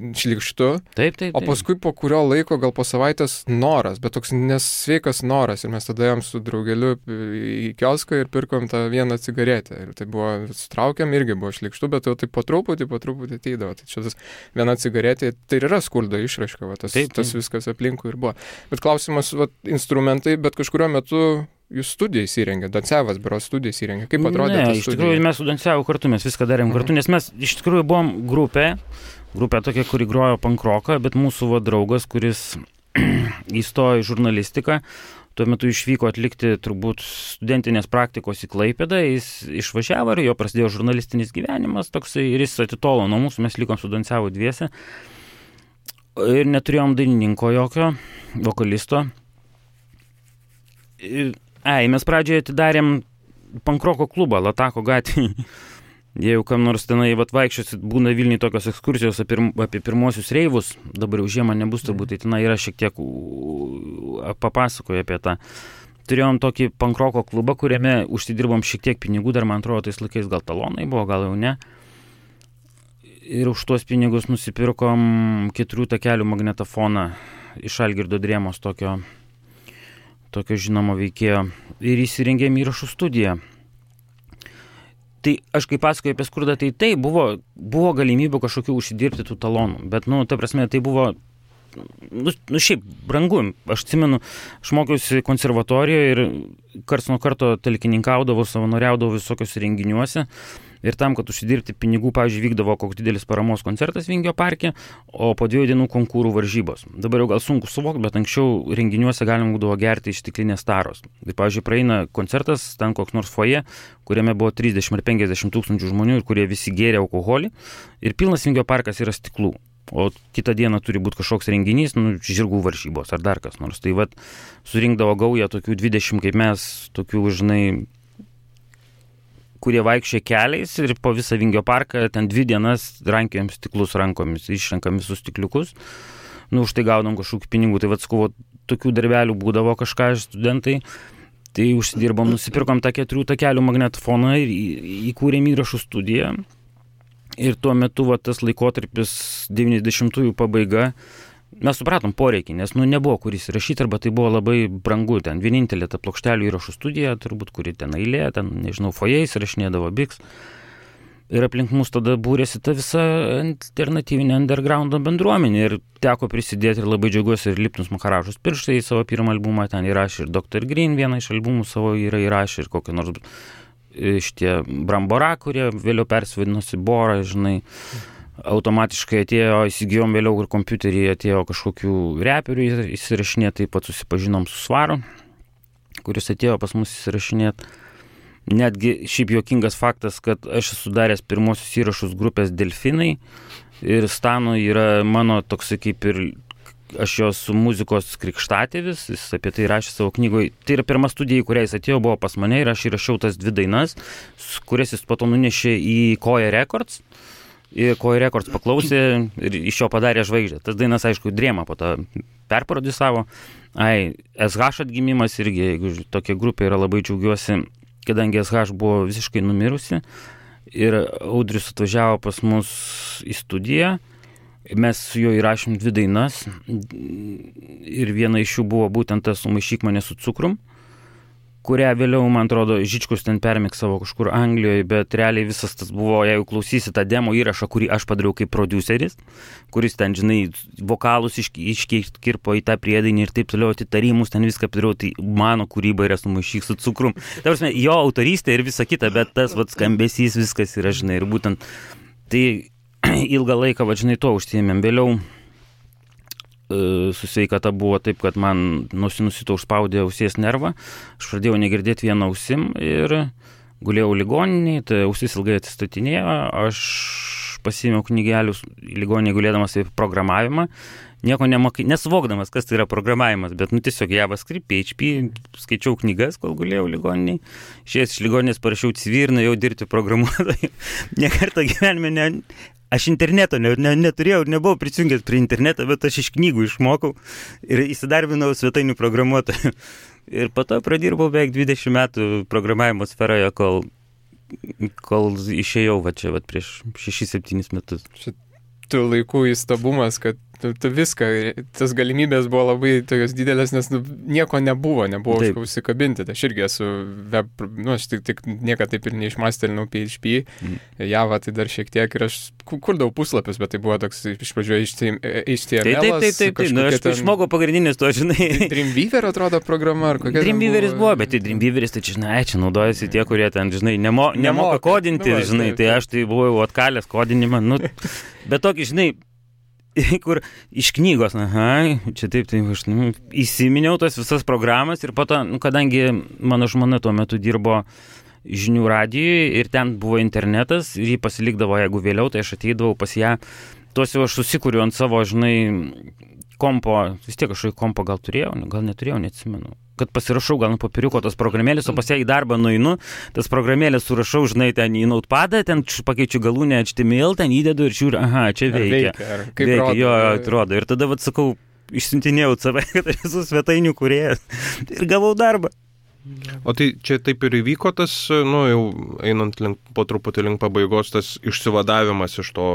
Šlykštu, taip. O paskui po kurio laiko, gal po savaitės noras, bet toks nesveikas noras ir mes tada jam su draugeliu į kioską ir pirkom tą vieną cigaretę ir tai buvo, sutraukėm, irgi buvo šlykštu, bet jau taip po truputį ateidavo, tai čia tas viena cigaretė, tai yra skurdo išraiška, tas viskas aplinkui ir buvo. Bet klausimas, instrumentai, bet kažkurio metu jūs studiją įsirengė, Danciavas berods studiją įsirengė. Kaip atrodė ta studija? Iš tikrųjų mes su Danciavu kartu, mes viską darėm kartu, nes mes iš tikrųjų buvom grupė, Grupė tokia, kuri grojo pankroką, bet mūsų draugas, kuris įstojo į žurnalistiką, tuo metu išvyko atlikti turbūt studentinės praktikos į Klaipėdą, jis išvažiavo ir jo prasidėjo žurnalistinis gyvenimas toksai ir jis atitolo nuo mūsų, mes likom studentsiavo dviese ir neturėjom dainininko jokio, vokalisto. Mes pradžioje atidarėm pankroko klubą Latako gatvėje. Jeigu kam nors tenai vaikščiosit, būna Vilniuje tokios ekskursijos apie pirmosius reivus, dabar jau žiemą nebus turbūt, tai tenai yra šiek tiek papasakoja apie tą. Turėjom tokį pankroko klubą, kuriame užsidirbom šiek tiek pinigų, dar man atrodo, tais laikais gal talonai buvo, gal jau ne. Ir už tuos pinigus nusipirkom 4 takelių magnetofoną iš Algirdo Drėmos, tokio žinomo veikėjo, ir įsirengėm įrašų studiją. Tai aš kaip pasakoju apie skurdą, tai buvo galimybė kažkokių užsidirbti tų talonų, bet, ta prasme, tai buvo, šiaip brangu. Aš atsimenu, aš mokiausi konservatorijoje ir karts nuo karto talkininkaudavau, savanoriaudavau visokios renginiuose. Ir tam, kad užsidirbti pinigų, pavyzdžiui, vykdavo koks didelis paramos koncertas Vingio parke, o po 2 dienų konkūrų varžybos. Dabar jau gal sunku suvokti, bet anksčiau renginiuose galima būdavo gerti iš stiklinės taros. Ir, pavyzdžiui, praeina koncertas, ten koks nors foje, kuriame buvo 30 ar 50 tūkstančių žmonių ir kurie visi gėrė alkoholį. Ir pilnas Vingio parkas yra stiklų. O kitą dieną turi būti kažkoks renginys, žirgų varžybos ar dar kas nors. Tai surinkdavo gaują tokių 20 kaip mes, tokių, žinai, kurie vaikščia keliais ir po visą Vingio parką ten 2 dienas rankiojam stiklus rankomis, išrenkam visus stikliukus, už tai gaunam kažkokių pinigų. Tai tokių darbelių būdavo kažką studentai, tai užsidirbom, nusipirkom tą 4 takelių magnetofoną ir įkūrėm įrašų studiją. Ir tuo metu tas laikotarpis 90-ųjų pabaiga, mes supratom poreikį, nes nebuvo kur įsirašyti, arba tai buvo labai brangu. Ten vienintelė ta plokštelių įrašų studija, turbūt, kuri ten eilė, ten, nežinau, foje įsirašinėdavo Biks. Ir aplink mus tada būrėsi ta visa alternatyvinė undergroundo bendruomenė. Ir teko prisidėti ir labai džiaugiuosi ir Lipnus Makaražus pirštai į savo pirmą albumą, ten įrašė ir Dr. Green vieną iš albumų savo yra įrašė ir kokią nors šitie Brambora, kurie vėliau persivadinosi Bora, žinai. Automatiškai atėjo, įsigijom vėliau ir kompiuterį, atėjo kažkokių reperių įsirašinėti, taip pat susipažinom su Svaru, kuris atėjo pas mus įsirašinėti. Netgi šiaip juokingas faktas, kad aš esu daręs pirmosius įrašus grupės Delfinai ir Stano yra mano toksai kaip ir aš jos muzikos krikštatėvis, jis apie tai rašė savo knygoje. Tai yra pirma studija, į kurią jis atėjo, buvo pas mane ir aš įrašiau tas 2 dainas, kurias jis po to nunešė į Koja Records. Ir Koja Records paklausė ir iš jo padarė žvaigždę. Tas dainas, aišku, Drėma po to perprodisavo. SH atgimimas irgi, jeigu tokia grupė yra, labai džiaugiuosi, kadangi SH buvo visiškai numirusi. Ir Audrius atvažiavo pas mus į studiją. Mes su juo įrašėm 2 dainas. Ir viena iš jų buvo būtent tas Sumaišyk mane su cukrum, kurią vėliau, man atrodo, Žičkus ten permiksavo kažkur Anglijoje, bet realiai visas tas buvo, jeigu klausysi tą demo įrašą, kurį aš padariau kaip produceris, kuris ten, žinai, vokalus iškirpo į tą priedainį ir taip toliau, atitarimus ten viską padariau, tai mano kūryba yra Sumaišyk su cukrum. Ta prasme, jo autorystė ir visa kita, bet tas skambesys viskas yra, žinai, ir būtent tai ilgą laiką, žinai, to užsiėmėm. Vėliau su sveikata buvo taip, kad man nusito užspaudė ausies nervą, aš pradėjau negirdėti vieną ausim ir gulėjau ligoninėje, tai ausis ilgai atsistatinėjo, aš pasiėmiau knygelius ligoninėje gulėdamas apie programavimą, nieko nesuvokdamas, kas tai yra programavimas, bet tiesiog JavaScript, PHP, skaičiau knygas, kol gulėjau ligoninėje, išėjęs iš ligoninės parašiau CV ir nuėjau dirbti programuotojų. Nekartą gyvenime aš interneto neturėjau ir nebuvau prisijungęs prie interneto, bet aš iš knygų išmokau ir įsidarbinau svetainių programuotojų. Ir po to pradirbau beveik 20 metų programavimo sferoje, kol išėjau čia prieš 6-7 metus. Šitų laikų įstabumas, kad tu viską, tas galimybės buvo labai tokios didelės, nes nieko nebuvo už ką užsikabinti. Tai aš irgi esu web, aš tik niekada taip ir neišmastelinau PHP, Java tai dar šiek tiek ir aš kurdavau puslapius, bet tai buvo toks iš pradžių HTML. Taip, aš išmokau pagrindinius to, žinai. Dreamweaver atrodo programa, ar kokia? Dreamweaveris buvo, bet tai Dreamweaveris, tai čia naudojasi tie, kurie ten, žinai, nemoka kodinti, žinai, tai aš tai buvau atkalęs kodinimą, bet tokį, žinai, kur iš knygos, čia taip, aš įsiminiau tas visas programas ir po to, kadangi mano žmona tuo metu dirbo žinių radijui ir ten buvo internetas ir jį pasilikdavo, jeigu vėliau, tai aš ateidavau pas ją, tuos jau aš susikūriu ant savo, žinai, kompo, vis tiek kažkokį kompo gal turėjau, gal neturėjau, neatsimenu, kad pasirašau gal nuo popieriuko tos programėlės, o pas ją į darbą nueinu, tas programėlės surašau, žinai, ten į notepadą, ten pakeičiu galūnę HTML, ten įdedu ir žiūriu, čia veikia. Veikia, jo, atrodo. Ir tada, sakau, išsiuntinėjau save, kad aš esu svetainių kūrėjas ir gavau darbą. O tai čia taip ir įvyko tas, jau einant po truputį link pabaigos, tas išsivadavimas iš to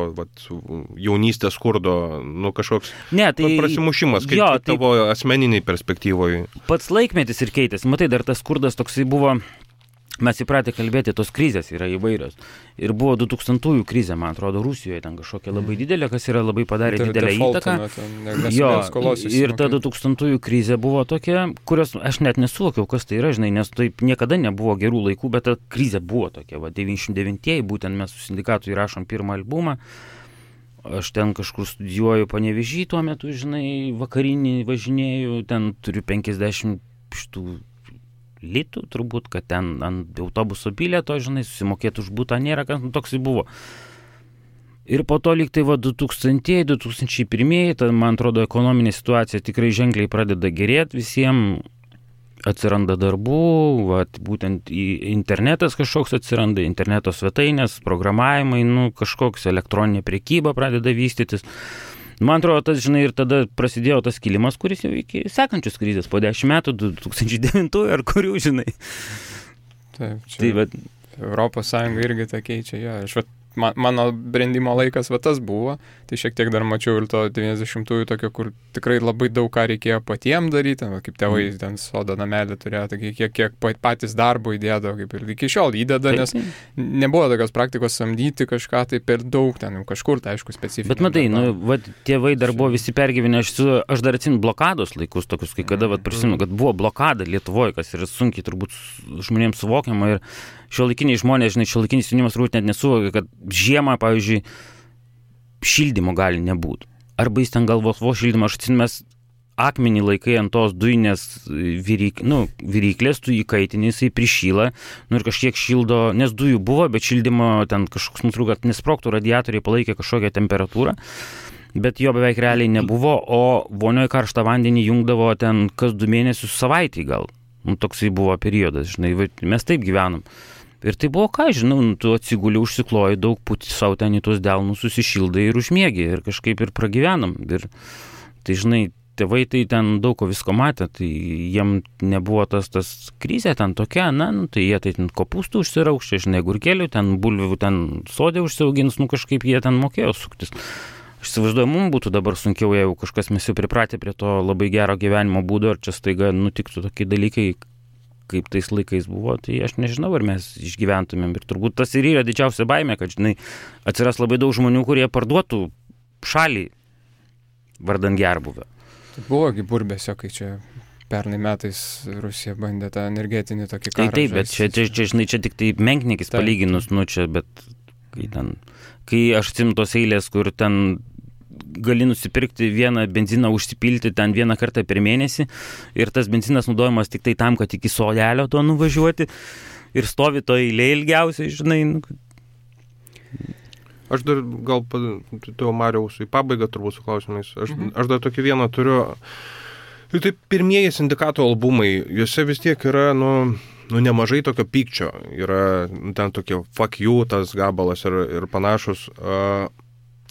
jaunystės skurdo, kažkoks prasimušimas, kaip tavo asmeniniai perspektyvoje. Pats laikmetis ir keitėsi, matai, dar tas skurdas toksai buvo, mes įpratę kalbėti, tos krizės yra įvairios. Ir buvo 2000-ųjų krizė, man atrodo, Rusijoje ten kažkokia labai didelė, kas yra labai padarė didelę įtaką. Jo, ir ta 2000-ųjų krizė buvo tokia, kurios aš net nesuvokiau, kas tai yra, žinai, nes taip niekada nebuvo gerų laikų, bet ta krizė buvo tokia, 99-ieji, būtent mes su sindikatu įrašom pirmą albumą. Aš ten kažkur studijuoju Panevėžy tuo metu, žinai, vakarinį važinėju, ten turiu 50 šitų litų, turbūt, kad ten ant autobuso bilieto, žinai, susimokėti už butą nėra, kas toksai buvo. Ir po to lyg tai 2000-2001, tai man atrodo, ekonominė situacija tikrai ženkliai pradeda gerėti, visiems atsiranda darbų, būtent internetas kažkoks atsiranda, interneto svetainės, programavimai, kažkoks elektroninė prekyba pradeda vystytis. Man atrodo, tas, žinai, ir tada prasidėjo tas kilimas, kuris jau iki sekančios krizės, po 10 metų, 2009 ar kurių, žinai. Taip, čia Europos Sąjunga irgi tą keičia, jo. Mano brendimo laikas tas buvo, tai šiek tiek dar mačiau ir to 90-ųjų tokio, kur tikrai labai daug ką reikėjo patiem daryti, kaip tėvai ten sodo namelį turėjo, tai kiek patys darbo įdėdavo, kaip ir iki šiol įdeda, nes nebuvo tokios praktikos samdyti kažką tai per daug, ten kažkur, tai aišku, specifinė. Bet matai, tėvai dar buvo visi pergyvenę, aš dar atsimenu blokados laikus tokius, kai kada prisimenu, kad buvo blokada Lietuvoje, kas yra sunkiai turbūt žmonėms suvokiama ir šiuolaikiniai žmonės, žinai, šiuolaikinis jaunimas turbūt net nesuvokia, kad žiemą, pavyzdžiui, šildymo gali nebūti. Arba jis ten galvos šildymą, aš atsimenu, mes akmenį laikai ant tos dujinės viryklės, tu įkaitini, jisai prišyla, ir kažkiek šildo, nes dujų buvo, bet šildymo ten kažkoks nutrūko, kad nesprogtų, radiatoriai palaikė kažkokią temperatūrą, bet jo beveik realiai nebuvo, o vonioje karštą vandenį jungdavo ten kas 2 mėnesius savaitį gal. Toksai buvo periodas, žinai, mes taip gyvenom. Ir tai buvo, ką žinau, tu atsiguli, užsikloji daug, puti savo ten į tuos delnus, susishildai ir užmiegi ir kažkaip ir pragyvenom. Ir tai, žinai, tėvai tai ten daug ko visko matė, tai jiem nebuvo tas krizė ten tokia, tai jie tai ten kopūstų užsiraukščia, žinai, gurkelių, ten bulvių, ten sodė užsiaugins, kažkaip jie ten mokėjo suktis. Aš įsivaizduoju, mums būtų dabar sunkiau, jeigu kažkas mes jau pripratę prie to labai gero gyvenimo būdo, ar čia staiga nutiktų tokie dalykai, kaip tais laikais buvo, tai aš nežinau, ar mes išgyventumėm. Ir turbūt tas ir yra didžiausia baimė, kad, žinai, atsiras labai daug žmonių, kurie parduotų šalį vardan gerbūvio. Tai buvogi burbėsio, kai čia pernai metais Rusija bandė tą energetinį tokį karą. Taip, bet čia, žinai, čia tik tai menkniekis palyginus, čia, bet kai aš atsimenu tos eilės, kur ten gali nusipirkti vieną benziną, užsipilti ten vieną kartą per mėnesį ir tas benzinas naudojamas tik tai tam, kad iki sodelio to nuvažiuoti ir stovi to eilė ilgiausiai, žinai. Aš dar gal, tu Mariaus į pabaigą turbūt su klausimais, aš dar tokį vieną turiu. Tai pirmieji sindikato albumai, juose vis tiek yra, nemažai tokio pykčio, yra ten tokie fuck you, tas gabalas ir panašus.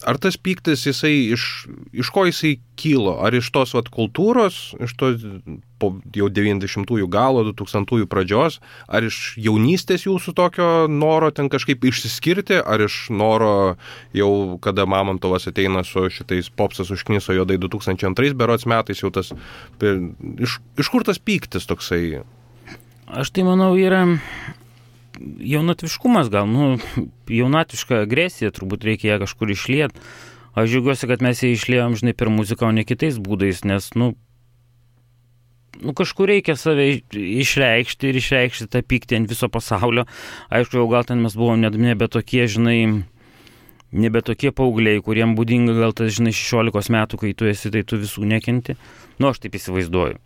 ar tas pyktis jisai iš ko jisai kylo? Ar iš tos kultūros, iš to po jau 90-ųjų galo, 2000-ųjų pradžios, ar iš jaunystės jūsų tokio noro ten kažkaip išsiskirti, ar iš noro jau, kada Mamontovas ateina su šitais Popsas užkniso juodai 2002 berods metais, jau tas, iš kur tas pyktis toksai? Aš tai manau yra jaunatviškumas gal, jaunatviška agresija, turbūt reikia ją kažkur išliet. Aš džiaugiuosi, kad mes ją išliejom, žinai, per muziką, o ne kitais būdais, nes, kažkur reikia save išreikšti ir išreikšti tą pyktį ant viso pasaulio. Aišku, jau gal ten mes buvom nebe tokie, žinai, nebe tokie paaugliai, kuriem būdinga gal tas, žinai, 16 metų, kai tu esi, tai tu visų nekenti. Aš taip įsivaizduoju.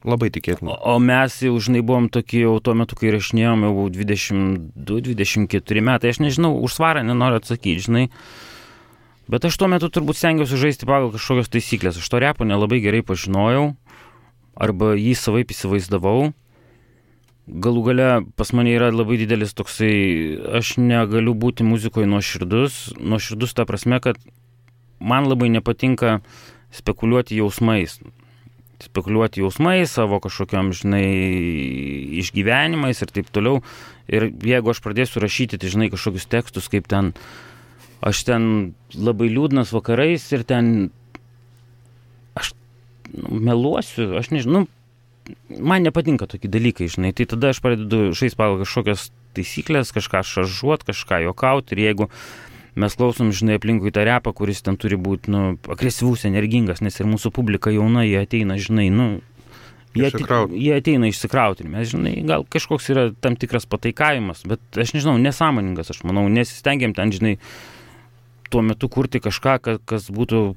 Labai tikėtina. O mes jau, žinai, buvom tokie jau tuo metu, kai rašinėjom, jau 22-24 metai, aš nežinau, už svarą nenoriu atsakyti, žinai, bet aš tuo metu turbūt stengiausi žaisti pagal kažkokios taisyklės. Aš to repo nelabai gerai pažinojau, arba jį savaip įsivaizdavau. Galų gale pas mane yra labai didelis toksai, aš negaliu būti muzikoje nuoširdus ta prasme, kad man labai nepatinka spekuliuoti jausmais, savo kažkokiam, žinai, išgyvenimais ir taip toliau. Ir jeigu aš pradėsiu rašyti, tai, žinai, kažkokius tekstus, kaip ten, aš ten labai liūdnas vakarais ir ten aš meluosiu, aš nežinau, man nepatinka tokie dalykai, žinai, tai tada aš pradedu žaisti pagal kažkokias taisyklės, kažką šaržuot, kažką juokauti, ir jeigu mes klausom, žinai, aplinkui tą repą, kuris ten turi būti, agresyvus, energingas, nes ir mūsų publika jauna, jie ateina, žinai, jie ateina išsikrauti. Mes, žinai, gal kažkoks yra tam tikras pataikavimas, bet aš nežinau, nesąmoningas, aš manau, nesistengiam ten, žinai, tuo metu kurti kažką, kas būtų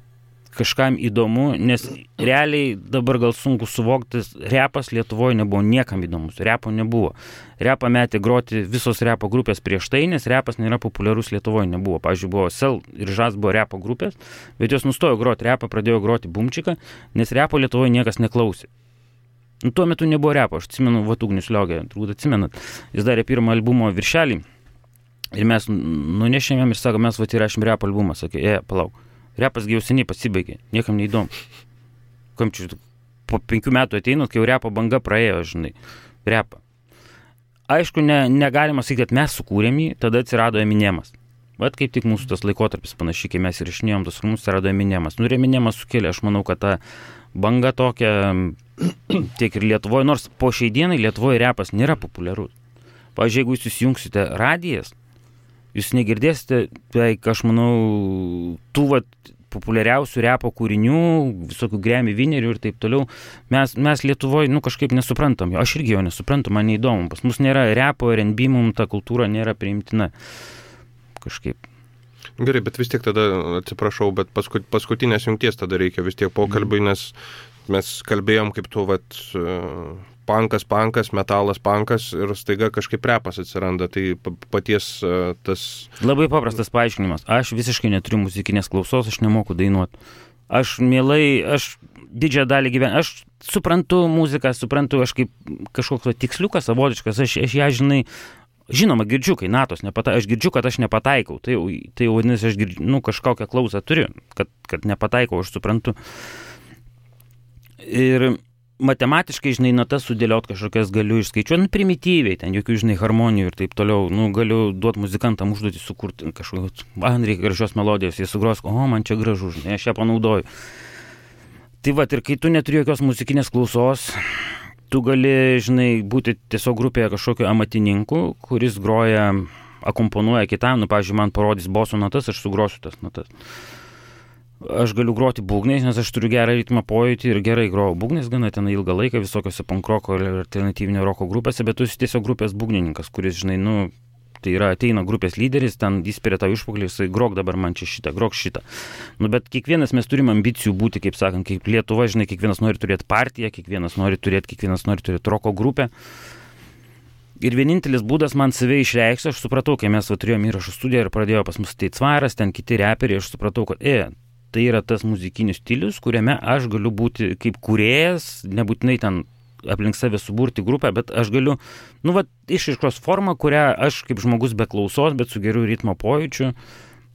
kažkam įdomu, nes realiai dabar gal sunku suvokti, repas Lietuvoje nebuvo niekam įdomus, repo nebuvo. Repą metė groti visos repo grupės prieš tai, nes repas nėra populiarus Lietuvoje, nebuvo. Pavyzdžiui, buvo Sel ir Žas buvo repo grupės, bet jos nustojo groti repą, pradėjo groti bumčiką, nes repo Lietuvoje niekas neklausė. Tuo metu nebuvo repo, aš atsimenu, Ugnius Liogė, turbūt atsimenat, jis darė pirmą albumo viršelį ir mes nunešėm jam ir sako, mes įrašėm repo albumą, sakė, palauk. Repas jau seniai pasibaigė, niekam neįdomu. Po 5 metų ateinat, kai jau repo banga praėjo, žinai, repą. Aišku, negalima sakyti, kad mes sukūrėm jį, tada atsirado Eminemas. Bet kaip tik mūsų tas laikotarpis panašiai, kai mes įrašinėjom tos filmus, atsirado Eminemas. Ir Eminemas sukėlė, aš manau, kad ta banga tokia tiek ir Lietuvoje, nors po šiai dienai Lietuvoje repas nėra populiarus. Pavyzdžiui, jeigu jūs įsijungsite radijas, jūs negirdėsite, tai aš manau, tų populiariausių repo kūrinių, visokių Grammy Winnerių ir taip toliau. Mes Lietuvoje, kažkaip nesuprantam. Aš irgi jo nesuprantu, man neįdomu. Pas mus nėra repo, R&B, mums ta kultūra nėra priimtina. Kažkaip. Gerai, bet vis tiek tada, atsiprašau, bet paskutinės jungties tada reikia vis tiek pokalbiui, nes mes kalbėjom kaip tu, pankas, metalas pankas ir staiga kažkaip repas atsiranda, tai paties tas... Labai paprastas paaiškinimas. Aš visiškai neturiu muzikinės klausos, aš nemoku dainuoti. Aš didžiąją dalį gyvenu, aš suprantu muziką, aš kaip kažkoks tiksliukas, savotiškas, aš ją, žinoma, girdžiu, kai natos aš girdžiu, kad aš nepataikau, tai vadinasi, aš girdžiu, kažkokią klausą turiu, kad nepataikau, aš suprantu. Ir matematiškai, natas sudėliot kažkokias galiu išskaičiuoti, primityviai, ten jokių, harmonijų ir taip toliau, galiu duoti muzikantam užduoti sukurti kažkokios, reikia gražios melodijos, jie sugros, man čia gražu, aš ją panaudoju. Tai ir kai tu neturi jokios muzikinės klausos, tu gali, būti tiesiog grupėje kažkokio amatininkų, kuris groja, akomponuoja kitam, pavyzdžiui, man parodys boso natas, aš sugrosiu tas natas. Aš galiu groti būgnais, nes aš turiu gerą ritmą pojūtį ir gerai grojau būgnais gana ten ilgą laiką visokiose pankroko ir alternatyvinio roko grupėse, bet tu esi tiesiog grupės būgnininkas, kuris, tai yra ateina grupės lyderis, ten įspiria tau išpaklį, jisai grok dabar man čia šitą, grok šitą. Bet kiekvienas mes turim ambicijų būti, kaip sakant, kaip Lietuva, kiekvienas nori turėti partiją, kiekvienas nori turėti roko grupę. Ir vienintelis būdas man save išreikšti, aš supratau, kai mes turėjom įrašų studiją ir pradėjo pas mus tai Cvaras, ten kiti reperiai, aš supratau, kad tai yra tas muzikinis stilius, kuriame aš galiu būti kaip kūrėjas, nebūtinai ten aplink save suburti grupę, bet aš galiu, išraiškos formą, kurią aš kaip žmogus be klausos, bet su geru ritmo pojūčiu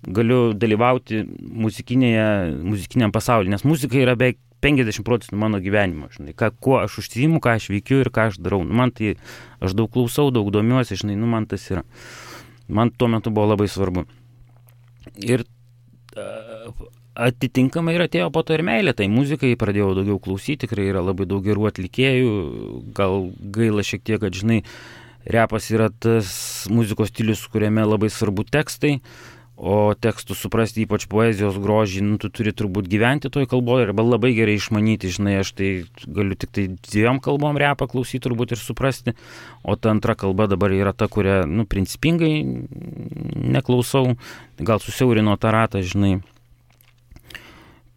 galiu dalyvauti muzikiniam pasaulyje, nes muzika yra beveik 50% mano gyvenimo, žinai, kuo aš užsiimu, ką aš veikiu ir ką aš darau. Man tai, aš daug klausau, daug domiuosi, žinai, man tas yra. Man tuo metu buvo labai svarbu. Ir atitinkamai ir atėjo po to ir meilė, tai muzikai pradėjau daugiau klausyti, tikrai yra labai daug gerų atlikėjų, gal gaila šiek tiek, kad, žinai, repas yra tas muzikos stilius, kuriame labai svarbu tekstai, o tekstų suprasti, ypač poezijos grožį, tu turi turbūt gyventi toj kalboje arba labai gerai išmanyti, žinai, aš tai galiu tik tai 2 kalbom repą klausyti turbūt ir suprasti, o ta antra kalba dabar yra ta, kurią, principingai neklausau, gal susiaurino tą ratą, žinai.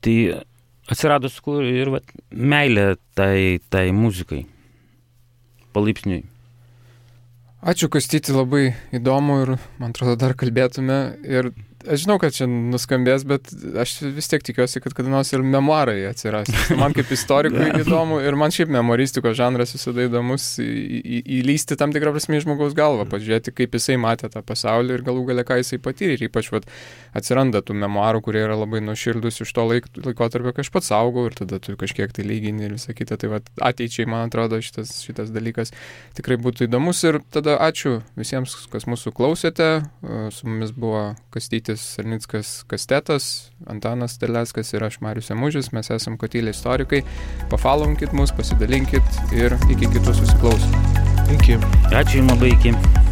Tai atsirado ir meilė tai muzikai, palaipsniui. Ačiū, Kastyti, labai įdomu ir, man atrodo, dar kalbėtume. Ir aš žinau, kad čia nuskambės, bet aš vis tiek tikiuosi, kad kada nors ir memuarai atsiras. Man kaip istorikui įdomu ir man šiaip memuaristikos žanras visada įdomus įlysti tam tikrą prasme į žmogaus galvą, pažiūrėti, kaip jisai matė tą pasaulį ir galų gale ką jisai patyrė. Ir ypač atsiranda tų memuarų, kurie yra labai nuoširdus iš to laikotarpio, kai aš pats augau ir tada tu kažkiek tai lygini ir visą kitą. Tai ateičiai, man atrodo, šitas dalykas tikrai būtų įdomus. Ir tada ačiū visiems, kas mūsų klausėte. Su mumis buvo Kastytis Sarnickas Kastetas, Antanas Terleckas ir aš Marius Emužis. Mes esam Kotylė istorikai. Pafollowkit mus, pasidalinkit ir iki kitų susiklausymų. Iki. Ačiū jums labai, iki.